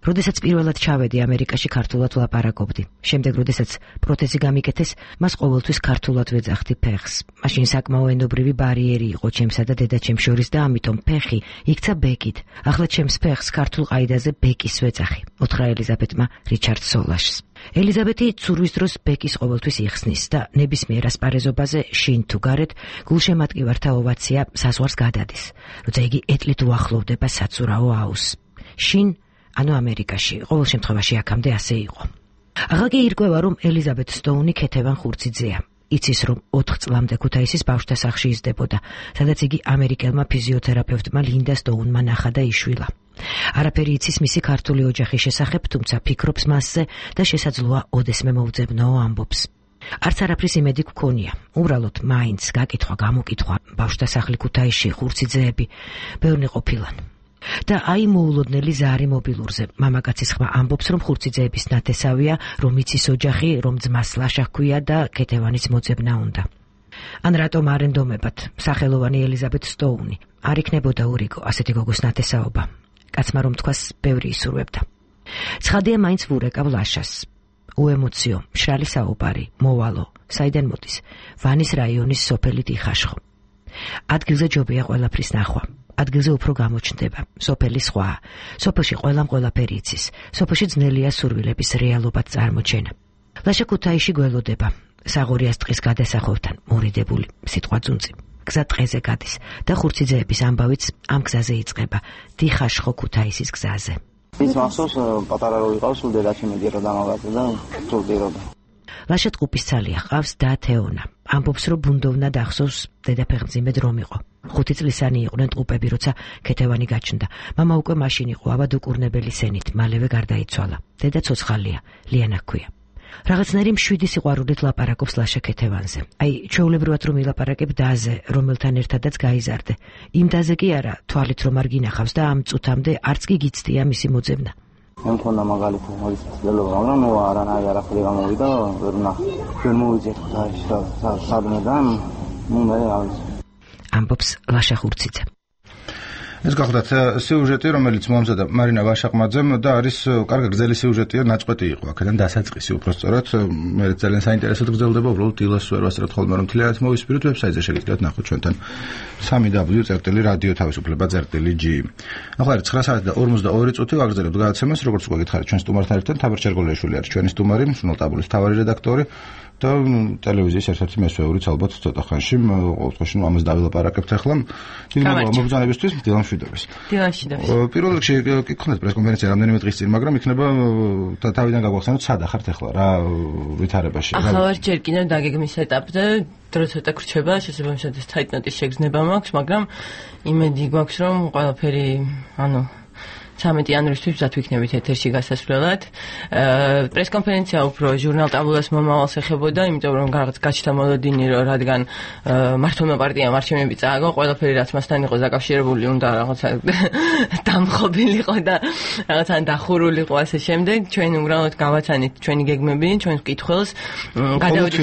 როდესაც პირველად ჩავედი ამერიკაში, ქართულად ვლაპარაკობდი. შემდეგ, როდესაც პროთეზი გამიკეთეს, მას ყოველთვის ქართულად ვეძახდი ფეხს. მაშინ საკმაო ენობრივი ბარიერი იყო ჩემსა და დედაჩემს შორის და ამიტომ ფეხი იქცა ბეკით. ახლა ჩემს ფეხს ქართულ ყაიდაზე ბეკის ვეძახი. უთხრა ელიზაბეთმა რიჩარდ სოლაშს. ელიზაბეთი ცურვის დროს ბეკის ყოველთვის იხსნის და ნებისმიერ ასპარეზობაზე შინ თუ გარეთ გულშემატკივართა ოვაცია საზღვარს გადადის, როცა იგი ეტლით უახლოვდება საცურაო აუზს. შინ ანუ ამერიკაში, ყოველ შემთხვევაში აქამდე ასე იყო. ახლა კი ირკვევა, რომ ელიზაბეთ სტოუნი ქეთევან ხურციძეა. იცის, რომ 4 წლამდე ქუთაისის ბავშვთა სახლში იზრდებოდა, სადაც იგი ამერიკელმა ფიზიოთერაპევტმა ლინდა სტოუნმა ნახა და იშვილა. არაფერი იცის მისი ქართული ოჯახის შესახებ, თუმცა ფიქრობს მასზე და შესაძლოა ოდესმე მოუძებნოო ამბობს. არც არაფრის იმედი გქონია. უბრალოდ მაინც გაკითხვა, გამოკითხვა, ბავშვთა სახლი ქუთაისში, ხურციძეები, ბევრნი ყოფილან. და აი მოულოდნელი ზარი მობილურზე. მამაკაცის ხმა ამბობს, რომ ხურციძეების ნათესავია, რომ იცის ოჯახი, რომ ძმას ლაშა ჰქვია და ქეთევანის მოძებნა უნდა. ან რატომ არ ენდომებათ სახელოვანი ელიზაბეთ სტოუნი? არ იქნებოდა ურიგო ასეთი გოგოს ნათესაობა. კაცმა რომ თქვას, ბევრი ისურვებდა. ცხადია, მაინც ვურეკავ ლაშას. უემოციო, მშრალი საუბარი, მოვალო, საიდან მოდის? ვანის რაიონის სოფელი დიხაშხო. ადგილზე ჯობია ყველაფრის ნახვა. ადგილზე უფრო გამოჩნდება. სოფელი სხვაა. სოფელში ყველამ ყველაფერი იცის. სოფელში ძნელია სურვილების რეალობად წარმოჩენა. ლაშა ქუთაისში გველოდება. საღორიას ტყის გადასახვევთან მორიდებული სიტყვა ძუნწი. გზა ტყეზე გადის და ხურციძეების ამბავიც ამ გზაზე იწყება. დიხაშხო ქუთაისის გზაზე. ის მახსოვს პატარა რო ვიყავს, სულ დედაჩემ მედირო დამავაგდა და თურდიროდა. ლაშა ტყუპის ცალია, ყავს და თეონა. ამბობს, რომ ბუნდოვნა დახსოვს დედაფეხმძიმედ რომ იყო. 5 წლისანი იყვნენ ტყუპები, როცა ქეთევანი გაჩნდა. მამა უკვე მაშინ იყო ავადუკურნებელი სენით, მალევე გარდაიცვალა. დედა ცოცხალია, ლიანა ჰქვია. რაღაცნაირი მშვიდი სიყვარულით ლაპარაკობს ლაშა ქეთევანზე. აი, ჩვეულებრივად რომ ილაპარაკებ დაზე, რომელთან ერთადაც გაიზარდე. იმ დაზე კი არა, თვალით რომ არ გინახავს და ამ წუთამდე არც კი გიცდია მისი მოძებნა. მე მქონდა მაგალითად მოდის ცდილობა, მაგრამ ნუ არანაირი არაფერი გამოვიდა, ვერ ვნახე. ვერ მოვიძიეთ სადმე და ნუ მე ამბობს ლაშა ხურციძე. ეს გახლდათ სიუჟეტი, რომელიც მოამზადა მარინა ვაშაყმაძემ და არის კარგი გრძელი სიუჟეტია, ნაწყვეტი იყო აქედან დასაწყისი უბრალოდ. მე ძალიან საინტერესოდ გრძელდება, უბრალოდ დილას ვერ ვასწრებთ ხოლმე რომ მთლიანად მოვისპიროთ, ვებსაიტზე შეგიძლიათ ნახოთ ჩვენთან www.radio-tavisufleba.gi. ახლა 9 საათი და 42 წუთი ვაგრძელებთ გადაცემას, როგორც უკვე გითხარით, ჩვენ სტუმართან ერთად თამარ ჩერგოლიაშვილი არის ჩვენი სტუმარი, სნოლტაბულის მთავარი რედაქტორი. და ტელევიზიის ერთ-ერთი მესვეურიც ალბათ ცოტა ხანში, ყოველთვის ამას დავილაპარაკებთ ახლა. დიდი მადლობა მოგზაურობისთვის, დილან მშვიდობის. დილან მშვიდობის. პირველ რიგში კი გქონდათ პრესკონფერენცია რამდენიმე დღის წინ, მაგრამ იქნება თავიდან გაგვახსენოთ, სად ახართ ახლა რა ვითარებაში. ახლა ვარ ჯერ კიდევ დაგეგმის ეტაპზე, დრო ცოტა გრჩება, შესაბამისად თაიტნოტის შეგრძნება მაქვს, მაგრამ იმედი გვაქვს, რომ ყველაფერი, 13 იანვრისთვის ვზად ვიქნებით ეთერში გასასვლელად. პრესკონფერენცია უფრო ჟურნალ ტაბულას მომავალს ეხებოდა, იმიტომ რომ რაღაც გაჩნდა მოლოდინი, რომ რადგან მართლმა პარტიამ არჩევნები წააგო, ყველაფერი რაც მასთან იყო დაკავშირებული უნდა რაღაცა დამხობილიყო და რაღაცა დახურულიყო ასე შემდეგ. ჩვენ უბრალოდ გავაცანით ჩვენი გეგმები, ჩვენს მკითხველს, გადავედით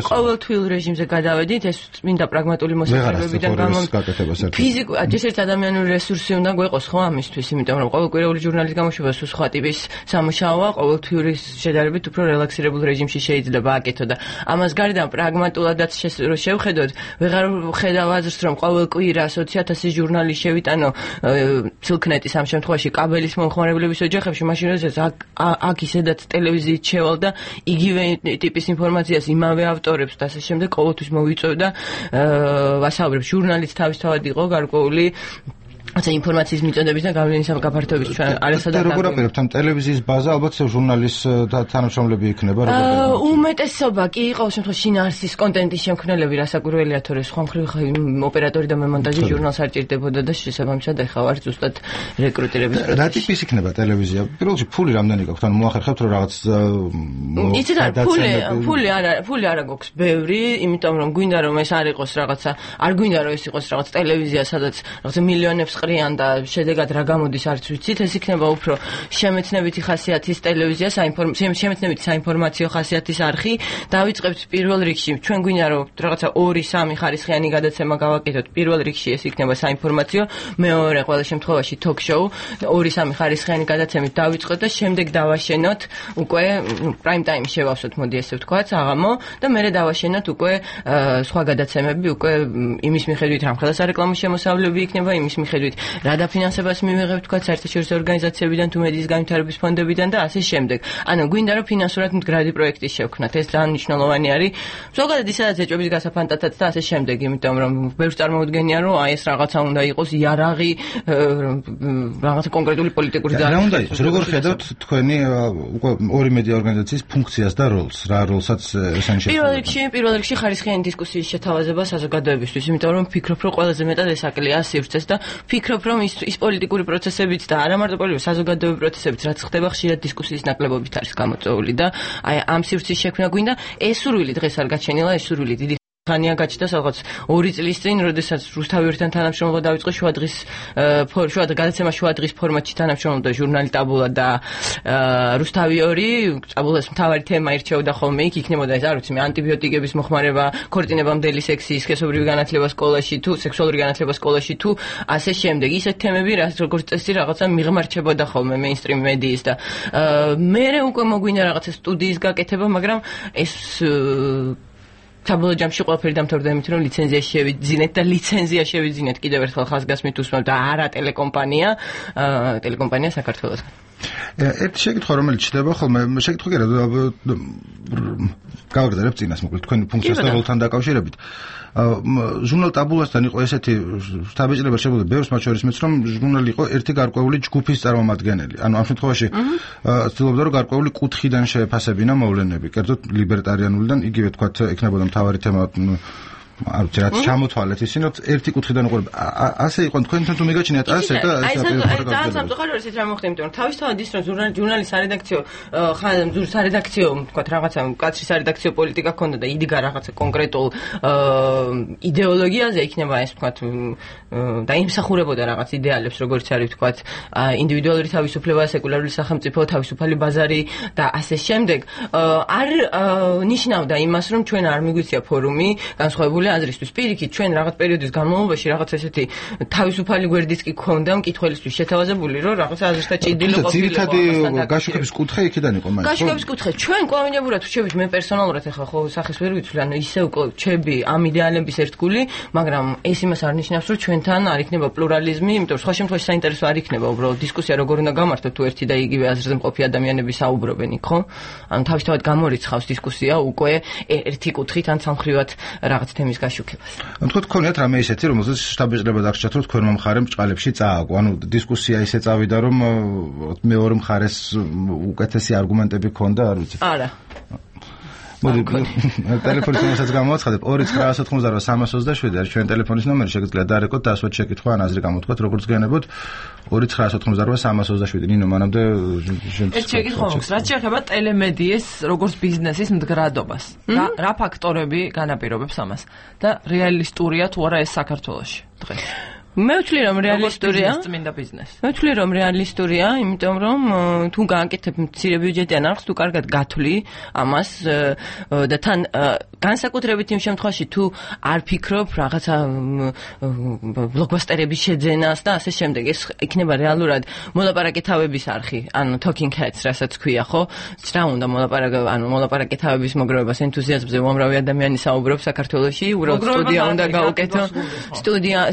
ყოველთვიურ რეჟიმზე გადავედით, ეს წმინდა პრაგმატული მოსახლეობიდან ფიზიკურად ჯერ ადამიანური რესურსი უნდა გვეყოს ხო ამისთვის, იმიტომ რომ ყოველკვირეული ჟურნალის გამოშვება სულ სხვა ტიპის სამუშაოა, ყოველთვიური შედარებით უფრო რელაქსირებულ რეჟიმში შეიძლება აკეთო და ამას გარდა პრაგმატულადაც შევხედოთ, ვეღარ ხედავ აზრს რომ ყოველ კვირა 20,000 ჟურნალი შევიტანო ცილქნეტის ამ შემთხვევაში კაბელის მომხმარებლების ოჯახებში, მაშინ როდესაც აქ ისედაც ტელევიზიით შევალ და იგივე ტიპის ინფორმაციას იმავე ავტორებს და ასე შემდეგ ყოველთვის მოვიწევ და ვასაუბრებ, ჟურნალიც თავისთავად იყო გარკვეული აცა ინფორმაციის მიწოდების და გავლენის გაფართოების ჩვენ არასადაც როგორ აპირებთ ამ ტელევიზიის ბაზა ალბათ ჟურნალის თანამშრომლები იქნება როგორ უმეტესობა კი იყო შემთხვევაში შინაარსის კონტენტის შემქმნელები რასაკვირველია თორე სხვა მხრივ ოპერატორი და მემონტაჟი ჟურნალს არ ჭირდებოდა და შესაბამისად ეხა ვარ ზუსტად რეკრუტირების პროცესში რა ტიპის იქნება ტელევიზია პირველ რიგში ფული რამდენი გაქვთ ანუ მოახერხებთ რომ რაღაც იცით რა ფული არა გვაქვს ბევრი იმიტომ რომ გვინდა რომ ეს არ იყოს რაღაცა არ გვინდა რომ ეს იყოს რაღაც ტელევიზია სადაც რაღაცა მილიონებს ყრიან და შედეგად რა გამოდის არც ვიცით ეს იქნება უფრო შემეცნებითი ხასიათის ტელევიზია შემეცნებითი საინფორმაციო ხასიათის არხი დავიწყებთ პირველ რიგში ჩვენ გვინდა რომ რაღაცა 2-3 ხარისხიანი გადაცემა გავაკეთოთ პირველ რიგში ეს იქნება საინფორმაციო მეორე ყველა შემთხვევაში ток-შოუ 2-3 ხარისხიანი გადაცემით დავიწყოთ და შემდეგ დავაშენოთ უკვე პრაიმ ტაიმი შევავსოთ მოდი ესე ვთქვათ აღამო და მერე დავაშენოთ უკვე სხვა გადაცემები უკვე იმის მიხედვით რამხელა სარეკლამო შემოსავლები იქნება იმის მიხედვით რა დაფინანსებას მივიღებთ თქვა საერთაშორისო ორგანიზაციებიდან თუ მედიის განვითარების ფონდებიდან და ასე შემდეგ. ანუ გვინდა რომ ფინანსურად მდგრადი პროექტი შევქმნათ. ეს ძალიან მნიშვნელოვანი არის. ზოგადად ისედაც ეჭვების გასაფანტათად და ასე შემდეგ, იმიტომ რომ ბევრს წარმოუდგენია რომ აი ეს რაღაცა უნდა იყოს იარაღი რაღაცა კონკრეტული პოლიტიკური და რა უნდა იყოს? როგორ ხედავთ თქვენი უკვე ორი მედია ორგანიზაციის ფუნქციას და როლს? რა როლსაც ესანიშნავება? პირველ რიგში ხარისხიანი დისკუსიის შეთავაზება საზოგადოებისთვის, იმიტომ რომ ვფიქრობ რომ ყველაზე მეტად ეს აკლია სივრცეს და ვფიქრობ რომ ის პოლიტიკური პროცესებიც და არა მარტო პოლიტიკური საზოგადოებრივი პროცესებიც რაც ხდება ხშირად დისკუსიის ნაკლებობით არის გამოწვეული და აი ამ სივრცის შექმნა გვინდა ეს სურვილი დღეს არ გაჩენილა ეს სურვილი დიდი ხანია გაჩნდა რაღაც 2 წლის წინ, როდესაც რუსთავიორთან თანამშრომლობა დაიწყო გადაცემა შუადღის ფორმატში თანამშრომლობდა ჟურნალი ტაბულა და რუსთავიორი ტაბულას მთავარი თემა ირჩეოდა ხოლმე იქ იქნებოდა ეს არ ვიცი მე ანტიბიოტიკების მოხმარება, ქორწინებამდელი სექსი, სქესობრივი განათლება სკოლაში თუ სექსუალური განათლება სკოლაში თუ ასე შემდეგ ისეთ თემები როგორც წესი რაღაცა მიღმარჩებოდა ხოლმე მეინსტრიმ მედიის და მე უკვე მოგვინდა რაღაცა სტუდიის გაკეთება, მაგრამ ეს საბოლოო ჯამში ყველაფერი დამთავრდა იმით, რომ ლიცენზია შევიძინეთ და ლიცენზია შევიძინეთ კიდევ ერთხელ ხაზგასმით უსმენთ და არა ტელეკომპანია საქართველოსგან. ერთი შეკითხვა რომელიც ჩდება ხოლმე შეკითხვა კი რა გავაგრძელებ წინას მოკლედ თქვენი ფუნქციას და როლთან დაკავშირებით ჟურნალ ტაბულასთან იყო ესეთი შთაბეჭდილება შეგვიძლია ბევრს მათ შორის მეც რომ ჟურნალი იყო ერთი გარკვეული ჯგუფის წარმომადგენელი ანუ ამ შემთხვევაში ცდილობდა რომ გარკვეული კუთხიდან შეეფასებინა მოვლენები კერძოდ ლიბერტარიანულიდან იგივე თქვათ ექნებოდა მთავარი თემა არ ვიცი რაც ჩამოთვალეთ ისინი ერთი კუთხიდან უყურებ ასე იყო თქვენთან თუ მიგაჩნიათ ასე და ეს ძალიან სამწუხაროა ისეთ რა მოხდა იმიტომ რომ თავისთავად ის რომ ჟურნალის სარედაქციო სარედაქციო თქვათ რაღაცა კაცრი სარედაქციო პოლიტიკა ქონდა და იდგა რაღაცა კონკრეტულ იდეოლოგიაზე იქნება ეს თქვათ და იმსახურებოდა რაღაც იდეალებს როგორც არის თქვათ ინდივიდუალური თავისუფლება სეკულარული სახელმწიფო თავისუფალი ბაზარი და ასე შემდეგ არ ნიშნავდა იმას რომ ჩვენ არ მიგვიწია ფორუმი განსხვავებული აზრისთვის პირიქით ჩვენ რაღაც პერიოდის განმავლობაში რაღაც ესეთი თავისუფალი გვერდიც კი ქონდა მკითხველისთვის შეთავაზებული რომ რაღაც აზრთა ჭიდილი ყოფილიყო ძირითადი გაშუქების კუთხე იქიდან იყო მაგ გაშუქების კუთხე ჩვენ კვლავინებურად ვშევით მე პერსონალურად ახლა ხო სახეს ვერ ვიცვლი ანუ ისე უკვე ჩები ამ იდეალების ერთგული მაგრამ ეს იმას არ ნიშნავს რომ ჩვენთან არ იქნება პლურალიზმი იმიტომ რომ სხვა შემთხვევაში საინტერესო არ იქნება უბრალოდ დისკუსია როგორ უნდა გამართოთ თუ ერთი და იგივე აზრზე მყოფი ადამიანები საუბრობენ იქ ხო ანუ თავისთავად გამორიცხავს დისკუსია უკვე ერთი კუთხით ან სამხრივად რაღაც თემის გაშუქებას. ანუ თქვენ გქონიათ რამე ისეთი, რომელზეც შტაბეჭდილება დაგჭირთ, რომ თქვენმა მხარემ ბრჭყალებში წააგო. ანუ დისკუსია ისე წავიდა, რომ მეორე მხარეს უკეთესი არგუმენტები ჰქონდა, არ ვიცი. არა. მოდი ტელეფონის ნომერსაც გამოვაცხადებ 2988327 არის ჩვენი ტელეფონის ნომერი შეგიძლიათ დარეკოთ და ასვათ შეკითხვა ან აზრი გამოთქვათ როგორც გენებოთ 2988327 ნინო მანამდე ეს შეკითხვა მაქვს რაც შეეხება ტელემედიის როგორც ბიზნესის მდგრადობას რა ფაქტორები განაპირობებს ამას და რეალისტურია თუ არა ეს საქართველოში დღეს მე ვთვლი რომ რეალისტურია წმინდა ბიზნესი. მე ვთვლი რომ რეალისტურია, იმიტომ რომ თუ გააკეთებ მცირე ბიუჯეტიან არხს, თუ კარგად გათვლი ამას და თან განსაკუთრებით იმ შემთხვევაში თუ არ ფიქრობ რაღაცა ბლოკბასტერების შეძენას და ასე შემდეგ, ეს იქნება რეალურად მოლაპარაკე თავების არხი, ანუ talking heads, რასაც ქვია, ხო? რა უნდა მოლაპარაკე თავების მოგროვებას ენთუზიაზმზე უამრავი ადამიანი საუბრობს საქართველოში, უბრალოდ სტუდია უნდა გაუკეთო.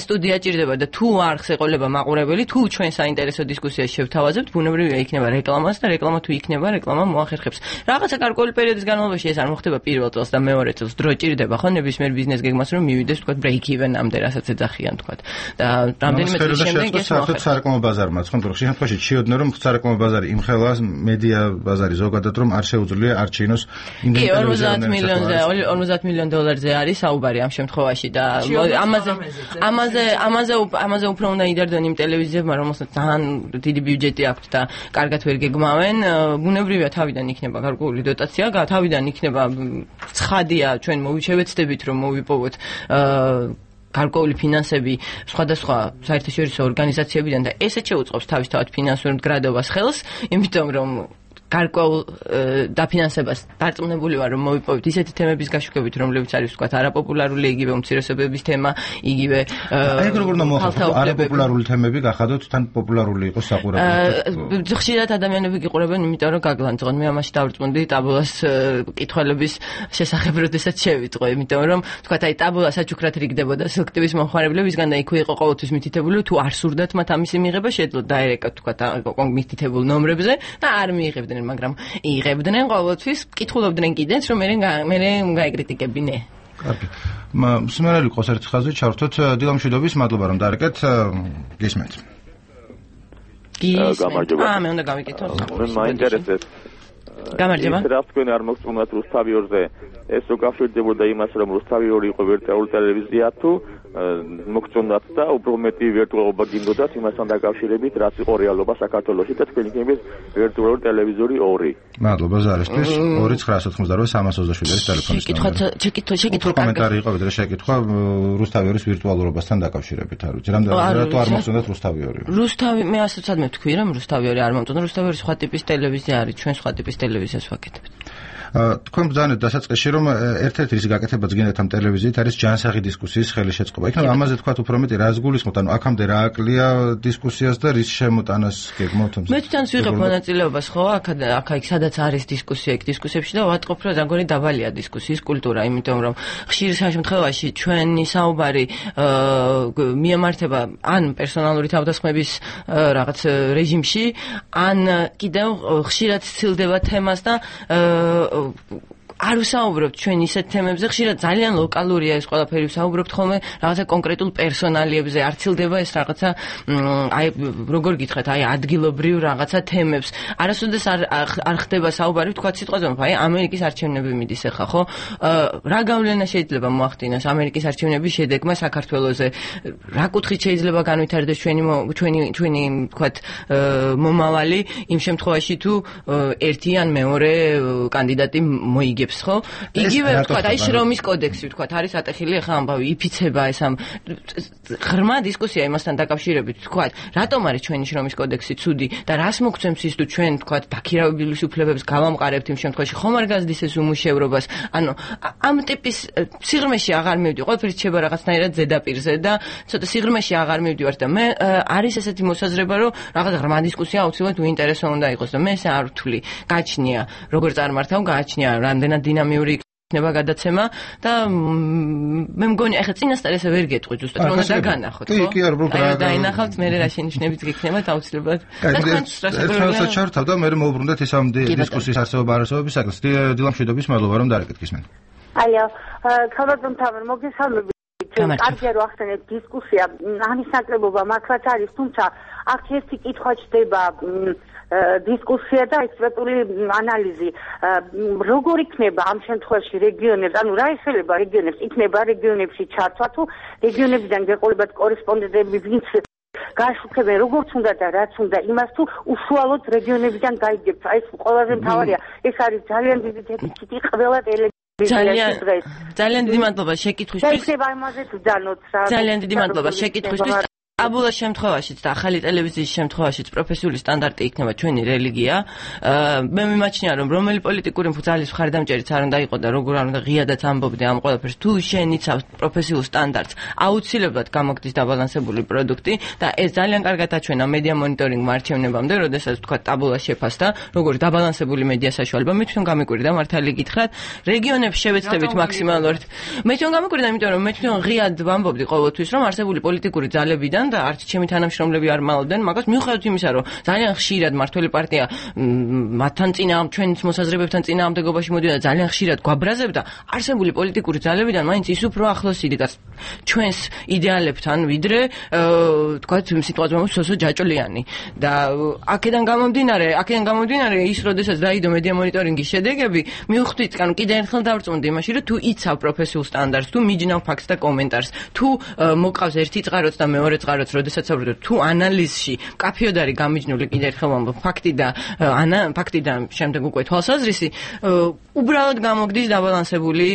სტუდია ჭირდება და თუ არხს ეყოლება მაყურებელი, თუ ჩვენ საინტერესო დისკუსიას შევთავაზებთ, ბუნებრივია იქნება რეკლამას და რეკლამა თუ იქნება, რეკლამა მოახერხებს. რაღაცა გარკვეული პერიოდის განმავლობაში ეს არ მოხდება პირველ წელს და მეორე წელს დრო ჭირდება, ხო, ნებისმიერ ბიზნეს გეგმას რომ მივიდეს, თქვა break even-ამდე, რასაც ეძახიან, თქვა. და რამდენიმე წლის შემდეგ ეს მოახერხებს. სარეკლამო ბაზარმა, ხო, რომ შემთხვევაში ჩიოდნენ რომ სარეკლამო ბაზარი იმხელა მედია ბაზარი ზოგადად რომ არ შეუძლია არჩინოს ინდეპენდენტ 50 მილიონ დოლარზე არის საუბარი ამ შემთხვევაში და ამაზე უფრო უნდა იდარდონ იმ ტელევიზიებმა, რომელსაც ძალიან დიდი ბიუჯეტი აქვთ და კარგად ვერ გეგმავენ. ბუნებრივია თავიდან იქნება გარკვეული დოტაცია, თავიდან იქნება ცხადია, ჩვენ მოვიჩევეცდებით რომ მოვიპოვოთ გარკვეული ფინანსები სხვადასხვა საერთაშორისო ორგანიზაციებიდან და ესეც შეუწყობს თავისთავად ფინანსურ მდგრადობას ხელს, იმიტომ რომ გარკვეულ დაფინანსებას დარწმუნებული ვარ რომ მოვიპოვეთ ისეთი თემების გაშუქებით რომლებიც არის ვთქვათ არაპოპულარული იგივე უმცირესობების თემა იგივე ეგ როგორ უნდა მოახერხოს არაპოპულარული თემები გახადოთ თან პოპულარული იყოს საყურებლად ხშირად ადამიანები გიყურებენ იმიტომ რომ გაგლანძღონ მე ამაში დავწმუნდი ტაბულას კითხველების შესახებ როდესაც შევიტყვე იმიტომ რომ ვთქვათ აი ტაბულა საჩუქრად რიგდებოდა სელექტივის მომხმარებლებისგან და იქვე იყო ყოველთვის მითითებული თუ არ სურდათ მათ ამისი მიღება შეძლოთ დაერეკათ ვთქვათ მითითებულ ნომრებზე და არ მიიღებდნენ მაგრამ იღებდნენ ყოველთვის, კითხულობდნენ კიდეც, რომ მე გაეკრიტიკებინე. კარგი. მსმენელი ყოს ერთ ხაზზე ჩავრთოთ დილამშვიდობის, მადლობა რომ დაარეკეთ. გისმენთ. გამარჯობა. მე უნდა გავიკითხო. მე მაინტერესებს. გამარჯობა. რა თქვენ არ მოგწონათ რუსთავიორზე? ეს უკავშირდებოდა იმას, რომ რუსთავიორი იყო ვირტუალური ტელევიზია თუ მოგწონათ და უფრო მეტი ვირტუალობა გინდოდათ იმასთან დაკავშირებით, რაც იყო რეალობა საქართველოში და თქვენ იქნებით ვირტუალური ტელევიზორი 2. მადლობა ზარისთვის. 2988327 არის ტელეფონის ნომერი. შეკითხვა კომენტარი იყო ვიდრე შეკითხვა რუსთავიორის ვირტუალურობასთან დაკავშირებით, არ ვიცი. რატო არ მოგწონათ რუსთავიორი? მე ასაც მე თქვი რომ რუსთავიორი არ მომწონდა, რუსთავიორი სხვა ტიპის ტელევიზია არის, ჩვენ სხვა ტიპის ტელევიზიას ვაკეთებთ. თქვენ ბრძანეთ დასაწყისში რომ ერთ-ერთი ის გაკეთებაც გინდათ ამ ტელევიზიით არის ჯანსაღი დისკუსიის ხელი შეწყობა. იქნება ამაზე თქვა უფრო მეტი რას გულისხმობთ, ანუ აქამდე რა აკლია დისკუსიას და რის შემოტანას გეგმავთ? მე თვითონაც ვიღებ მონაწილეობას, ხო, აქ სადაც არის დისკუსია, იქ დისკუსიებში და ვატყობ რომ ზაგონი დაბალია დისკუსიის კულტურა, იმიტომ რომ ხშირ შემთხვევაში ჩვენი საუბარი მიემართება ან პერსონალური თავდასხმების რაღაც რეჟიმში, ან კიდევ ხშირად ცილდება თემას და არ ვსაუბრობთ ჩვენ ისეთ თემებზე, ხშირად ძალიან ლოკალურია ეს ყველაფერი, ვსაუბრობთ ხოლმე რაღაცა კონკრეტულ პერსონალიებზე, არ ცილდება ეს რაღაცა აი როგორ გითხრათ, აი ადგილობრივ რაღაცა თემებს. არასოდეს არ ხდება საუბარი, თქვა სიტყვაზე, აი ამერიკის არჩევნები მიდის ახლა, ხო? რა გავლენა შეიძლება მოახდინოს ამერიკის არჩევნების შედეგმა საქართველოზე? რა კუთხით შეიძლება განვითარდეს ჩვენი თქვათ მომავალი იმ შემთხვევაში თუ ერთი ან მეორე კანდიდატი მოიგებს ხო? იგივე ვთქვათ, აი შრომის კოდექსი ვთქვათ, არის ატეხილი ახლა ამბავი, იფიცება ეს ამ ღრმა დისკუსია იმასთან დაკავშირებით, ვთქვათ, რატომ არის ჩვენი შრომის კოდექსი ცუდი და რას მოგცემს ის თუ ჩვენ ვთქვათ, დაქირავებულის უფლებებს გავამყარებთ იმ შემთხვევაში, ხომ არ გაზრდის ეს უმუშევრობას? ანუ ამ ტიპის სიღრმეში აღარ მივდივარ, ყველაფერი რჩება რაღაცნაირად ზედაპირზე და ცოტა სიღრმეში აღარ მივდივარ და მე არის ესეთი მოსაზრება, რომ რაღაც ღრმა დისკუსია აუცილებლად უინტერესო უნდა იყოს და მე ესე არ ვთვლი. გააჩნია, როგორ წარმართავ, გააჩნია რამდენად დინამიური იქნება გადაცემა და მე მგონი ახლა წინასწარ ესე ვერ გეტყვი ზუსტად რომ უნდა დაგანახოთ ხო? კი, არ უბრალოდ რა დაინახავთ მე რა შენიშვნებიც გიქნება აუცილებლად. ერთმანეთს ჩართავ და მე მოვუბრუნდეთ ეს ამ დისკუსიის არსებობა არასოების საკითხს. დილამშვიდობის, მადლობა რომ დაარეკეთ გისმენთ. ალო, ქალბატონ თამარ, მოგესალმებით. კარგია რომ ახსენეთ დისკუსია, ამის ნაკლებობა მართლაც არის, თუმცა აქ ერთი კითხვა ჩდება დისკუსია და ექსპერტული ანალიზი. როგორ იქნება ამ შემთხვევაში რეგიონებს, ანუ რა ეხება რეგიონებს, იქნება რეგიონებში ჩართვა თუ რეგიონებიდან გეყოლებათ კორესპონდენტები, ვინც გაშუქებენ როგორც უნდა და რაც უნდა, იმას თუ უშუალოდ რეგიონებიდან გაიგებთ. აი ეს ყველაზე მთავარია. ეს არის ძალიან დიდი დეფიციტი ყველა ძალიან დიდი მადლობა შეკითხვისთვის. შეიძლება იმაზე ვძანოთ რა. ძალიან დიდი მადლობა შეკითხვისთვის. აბულა შემთხვევაშიც და ახალი ტელევიზიის შემთხვევაშიც პროფესიული სტანდარტი იქნება ჩვენი რელიგია. მე მიმაჩნია რომ რომელი პოლიტიკური მბრძალის მხარდამჭერიც არ უნდა იყოს და როგორ არ უნდა ღიადაც ამბობდე ამ ყველაფერს, თუ შეენიცავს პროფესიულ სტანდარტს, აუცილებლად გამოგდის დაბალანსებული პროდუქტი და ეს ძალიან კარგად აჩვენა მედია მონიტორინგმა არჩევნებამდე, როდესაც თქვა ტაბულა შეფასდა, როგორ დაბალანსებული მედია საშუალება. მე თვითონ გამიკვირდა მართალი გითხრათ, რეგიონებს შევეცდებით მაქსიმალურად. მე თვითონ გამიკვირდა, იმიტომ რომ მე თვითონ ღიად ვამბობდი ყოველთვის, რომ არსებული პოლიტიკური ძალებიდან და არც ჩემი თანამშრომლები არ მალავდნენ მაგას, მიუხედავად იმისა, რომ ძალიან ხშირად მართველი პარტია მათთან ჩვენს მოსაზრებებთან წინააღმდეგობაში მოდიდა და ძალიან ხშირად გვაბრაზებდა, არსებული პოლიტიკური ძალებიდან მაინც ის უფრო ახლოს იდგას ჩვენს იდეალებთან, ვიდრე თქვათ სიტუაცია სოსო ჯაჭვლიანი. და აქედან გამომდინარე ის, როდესაც დაიდო მედია მონიტორინგის შედეგები, მივხვდით, ანუ კიდე ერთხელ დავწუნდი იმაში, რომ თუ იცავ პროფესიულ სტანდარტს, თუ მიჯნავ ფაქტს და კომენტარს, თუ მოყავს ერთი წყაროც და მეორე წყაროც, როდესაც საუბრობთ, თუ ანალიზში კაფიოდ არის გამიჯნული, კიდე ერთხელ ვამბობ, ფაქტი და შემდეგ უკვე თვალსაზრისი, უბრალოდ გამოგდის დაბალანსებული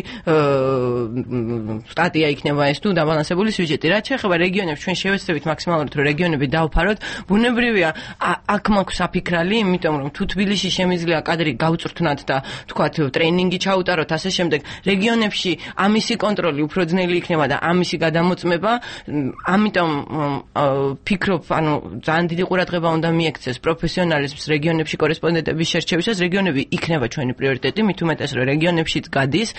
სტატია იქნება ეს თუ დაბალანსებული სიუჟეტი. რაც შეეხება რეგიონებს, ჩვენ შევეცდებით მაქსიმალურად, რომ რეგიონები დავფაროთ. ბუნებრივია, აქ მაქვს საფიქრალი, იმიტომ რომ თუ თბილისში შემიძლია კადრი გავწვრთნათ და თქვათ ტრენინგი ჩაუტაროთ, ასე შემდეგ, რეგიონებში ამისი კონტროლი უფრო ძნელი იქნება და ამისი გადამოწმება, ამიტომ ფიქრობ, ანუ ძალიან დიდი ყურადღება უნდა მიექცეს პროფესიონალიზმს რეგიონებში კორესპონდენტების შერჩევისას. რეგიონები იქნება ჩვენი პრიორიტეტი, მით უმეტეს რომ რეგიონებშიც გადის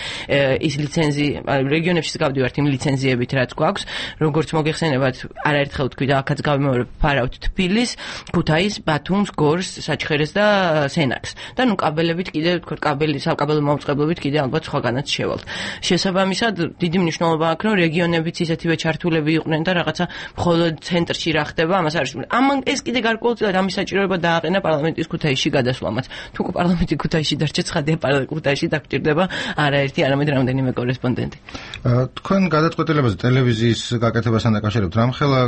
ის ლიცენზი, რეგიონებშიც გავდივართ იმ ლიცენზიებით, რაც გვაქვს, როგორც მოგეხსენებათ, არაერთხელ ვთქვი და აქაც გავიმეორებ, ფარავთ თბილისს, ქუთაისს, ბათუმს, გორს, საჩხერეს და სენაკს. და ნუ კაბელებით კიდე ვთქვათ, საკაბელო მაუწყებლობით კიდე ალბათ სხვაგანაც შევალთ. შესაბამისად, დიდი მნიშვნელობა აქვს, რომ რეგიონებიც ისეთივე ჩართულები იყვნენ და რაღაცა მხოლოდ ცენტრში რა ხდება, ამას არის. ამან ეს კიდე გარკვეულწილად ამის საჭიროება დააყენა პარლამენტის ქუთაისში გადასვლამაც. თუ პარლამენტი ქუთაისში დარჩა, ცხადია ქუთაისში დაგჭირდება არაერთი, არამედ რამდენიმე კორესპონდენტი. თქვენ გადაწყვეტილებაზე ტელევიზიის გაკეთებასთან დაკავშირებით რამხელა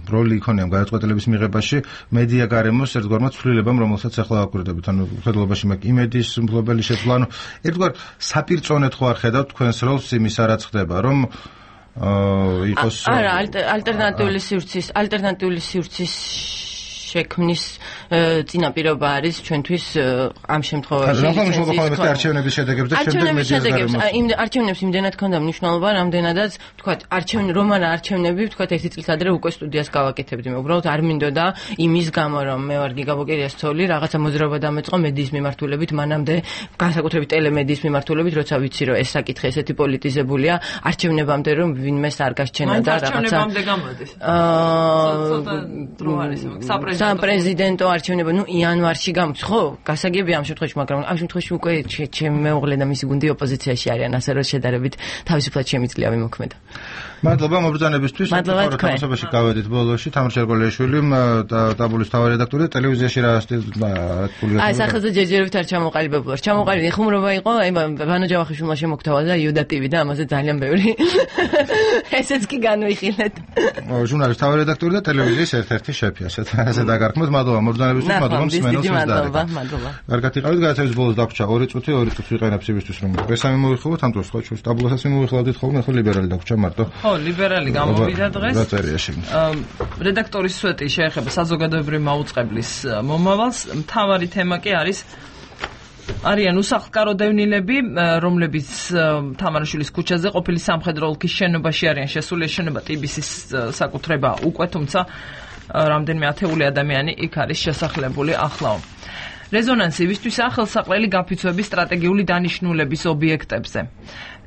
როლი იქონიამ გადაწყვეტილების მიღებაში მედია გარემოს ერთგვარმა ცვლილებამ, რომელსაც ახლა აკვირდებით, ანუ ხედულობაში მაგ იმედის მფლობელი შეცვლა, ანუ ერთგვარ საპირწონედ ხო არ ხედავთ თქვენს როლს იმის რაც ხდება, რომ იყოს არა ალტერნატიული სივრცის შექმნის წინაპირობა არის ჩვენთვის ამ შემთხვევაში არჩევნების შედეგებს და შემდეგ მედიას არჩევნებს იმდენად ქონდა მნიშვნელობა, რამდენადაც თქვათ არჩევნები თქვათ ერთი წლის ადრე უკვე სტუდიას გავაკეთებდი. მე უბრალოდ არ მინდოდა იმის გამო, რომ მე ვარ გიგა ბოკერიას ცოლი, რაღაცა მოძრაობა დამეწყო მედიის მიმართულებით, მანამდე განსაკუთრებით ტელემედიის მიმართულებით, როცა ვიცი რომ ეს საკითხი ესეთი პოლიტიზებულია, არჩევნებამდე რომ ვინმეს არ გასჩენა და რაღაცა არჩევნებამდე გამოდის. საპრეზიდენტო არჩევნები, ნუ იანვარში გამოდის, ხო? გასაგებია ამ შემთხვევაში, მაგრამ ამ შემთხვევაში უკვე ჩემი მეუღლე და მისი გუნდი ოპოზიციაში არიან, ასე რომ შედარებით თავისუფლად შემიძლია ვიმოქმედა. მადლობა მობრძანებისთვის. თამაშობაში გავედით ბოლოში თამარ შერგოლიაშვილი და ტაბულის თავი რედაქტორი და ტელევიზიაში რა სტილი აი სახელზე ჯერჯერობით არ ჩამოყალიბებულა. ჩამოყალიბდი ხუმრობა იყო, აი ვანო ჯავახიშვილმა შემოგთავაზა და იუდა ტივი და ამაზე ძალიან ბევრი. ესეც კი განვიხილეთ. ჟურნალის თავი რედაქტორი და ტელევიზიის ერთ-ერთი შეფი, ასე დაგარქმოთ. მადლობა მობრძანებისთვის, მადლობა მსმენელს მადლობა, მადლობა. კარგად იყავით, გადაცემის ბოლოს დაგვჭა 2 წუთი ვიყენებ იმისთვის, რომ ბესამი მოვიხილოთ, ამ დროს ხო ჩვენ ტაბულასაც მოვიხილავდით ხოლმე, ხო ლიბერალი დაგვჭა მარტო. ხო, ლიბერალი გამოვიდა დღეს. დაწერია შეგნით. რედაქტორის სვეტი შეეხება საზოგადოებრივი მაუწყებლის მომავალს. მთავარი თემა კი არიან უსახლკარო დევნილები, რომლებიც თამარაშვილის ქუჩაზე ყოფილი სამხედრო ოლქის შენობაში არიან შესული. შენობა ტიბისის საკუთრება უკვე, თუმცა რამდენიმე ათეული ადამიანი იქ არის შესახლებული ახლაო. რეზონანსი ისთვის ახალსაყრელი გაფიცვების სტრატეგიული დანიშნულების ობიექტებზე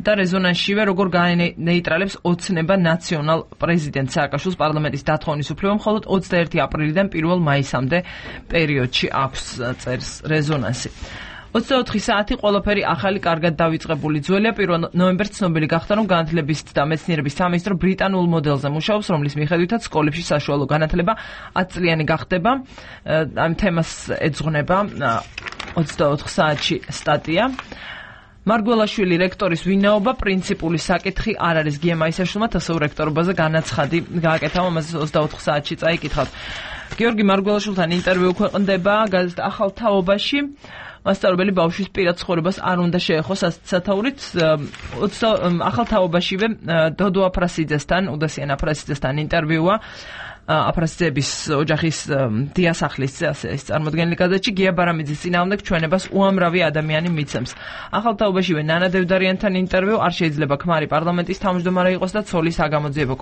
და რეზონანსშივე როგორ გაენეიტრალებს ოცნება ნაციონალ პრეზიდენტ სააკაშვილს პარლამენტის დათხოვნის უფლება მხოლოდ 21 აპრილიდან 1 მაისამდე პერიოდში აქვს წერს რეზონანსი. 24 საათი ყველაფერი ახალი კარგად დავიწყებული. ძველია 1 ნოემბერს ცნობილი გახდა, რომ განათლების და მეცნიერების სამინისტრო ბრიტანულ მოდელზე მუშაობს, რომლის მიხედვითაც სკოლებში საშუალო განათლება 10 წლიანი გახდება. ამ თემას ეძღვნება 24 საათში სტატია. მარგველაშვილი რექტორის ვინაობა პრინციპული საკითხი არ არის. გიემა ისაშვილმა თასეულ რექტორობაზე განაცხადი გააკეთა, ამაზე 24 საათში წაიკითხავთ. გიორგი მარგველაშვილთან ინტერვიუ ქვეყნდება გაზეთ ახალ თაობაში. მასწავლებელი ბავშვის პირად ცხოვრებას არ უნდა შეეხოს სათაურით. ახალ თაობაშივე დოდო აფრასიძესთან, უდასიან აფრასიძესთან ინტერვიუა. აფრასიძეების ოჯახის დიასახლის ეს წარმოდგენილი გაზეთში გია ბარამიძის წინააღმდეგ ჩვენებას უამრავი ადამიანი მიცემს. ახალ თაობაშივე ნანა დევდარიანთან ინტერვიუ. არ შეიძლება ქმარი პარლამენტის თავმჯდომარე იყოს და ცოლის საგამოძიებო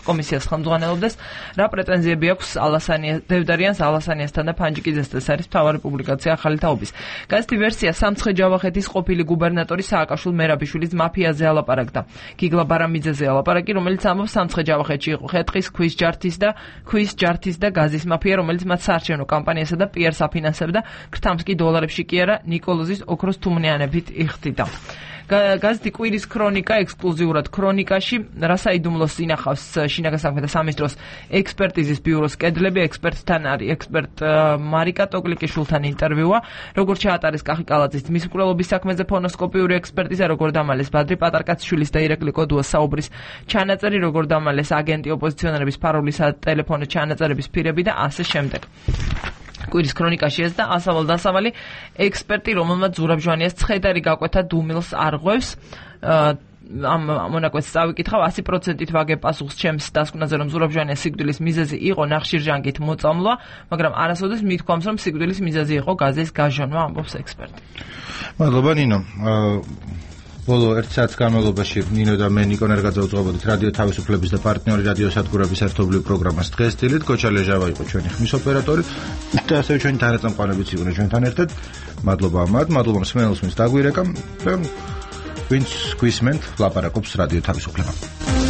კომისიას ხელმძღვანელობდეს. რა პრეტენზიები აქვს დევდარიანს, ალასანიასთან და ფანჯიკიძესთან. ეს არის მთავარი პუბლიკაცია ახალი თაობის. გაზეთი ვერსია სამცხე-ჯავახეთის ყოფილი გუბერნატორის სააკაშვილ მერაბიშვილის მაფიაზე ალაპარაკდა. გიგლა ბარამიძეზე ალაპარაკი, რომელიც ამბობს სამცხე-ჯავახეთში იყო ხეტყის, ქვის ჯართის და გაზის მაფია, რომელიც მათ საარჩევნო კამპანიასა და პიარს აფინანსებდა, ქრთამს კი დოლარებში კი არა, ნიკოლოზის ოქროს თუმნიანებით იხდიდა. გაზეთი კვირის ქრონიკა ექსკლუზიურად ქრონიკაში რასაიდუმლოს ინახავს შინაგან საქმეთა სამინისტროს ექსპერტიზის ბიუროს კედლები. ექსპერტთან არის ექსპერტ მარიკა ტოკლიკიშვილთან ინტერვიუა. როგორ ჩაატარეს კახი კალაძის ძმის მკვლელობის საქმეზე ფონოსკოპიური ექსპერტიზა, როგორ დამალეს ბადრი პატარკაციშვილის და ირაკლი კოდუას საუბრის ჩანაწერი, როგორ დამალეს აგენტი ოპოზიციონერების ფარულის ტელეფონით ჩანაწერების ფირები და ასე შემდეგ. კვირის ქრონიკაში ეს და ასავალ დასავალი ექსპერტი, რომელმაც ზურაბ ჟვანიას ცხედარი გაკვეთა დუმილს არღვევს. ამ მონაკვეთს წავიკითხავ 100%-ით ვაგებ პასუხს ჩემს დასკვნაზე, რომ ზურაბ ჟვანიას სიკვდილის მიზეზი იყო ნახშირჟანგით მოწამვლა, მაგრამ არასოდეს მithქვამს, რომ სიკვდილის მიზეზი იყო გაზის გაჟონვა, ამბობს ექსპერტი. მადლობა ნინო. ბოლო 1 საათის განმავლობაში ნინო და მე ნიკო ნერგაძე უძღვებოდით რადიო თავისუფლების და პარტნიორი რადიო სადგურების ერთობლივ პროგრამას დღეს დილით. გოჩა ლეჟავა იყო ჩვენი ხმის ოპერატორი და ასევე ჩვენი თანაწამყვანებიც იყვნენ ჩვენთან ერთად. მადლობა მათ, მადლობა მსმენელს, ვინც დაგვირეკა და ვინც გვისმენთ, ლაპარაკობს რადიო თავისუფლება.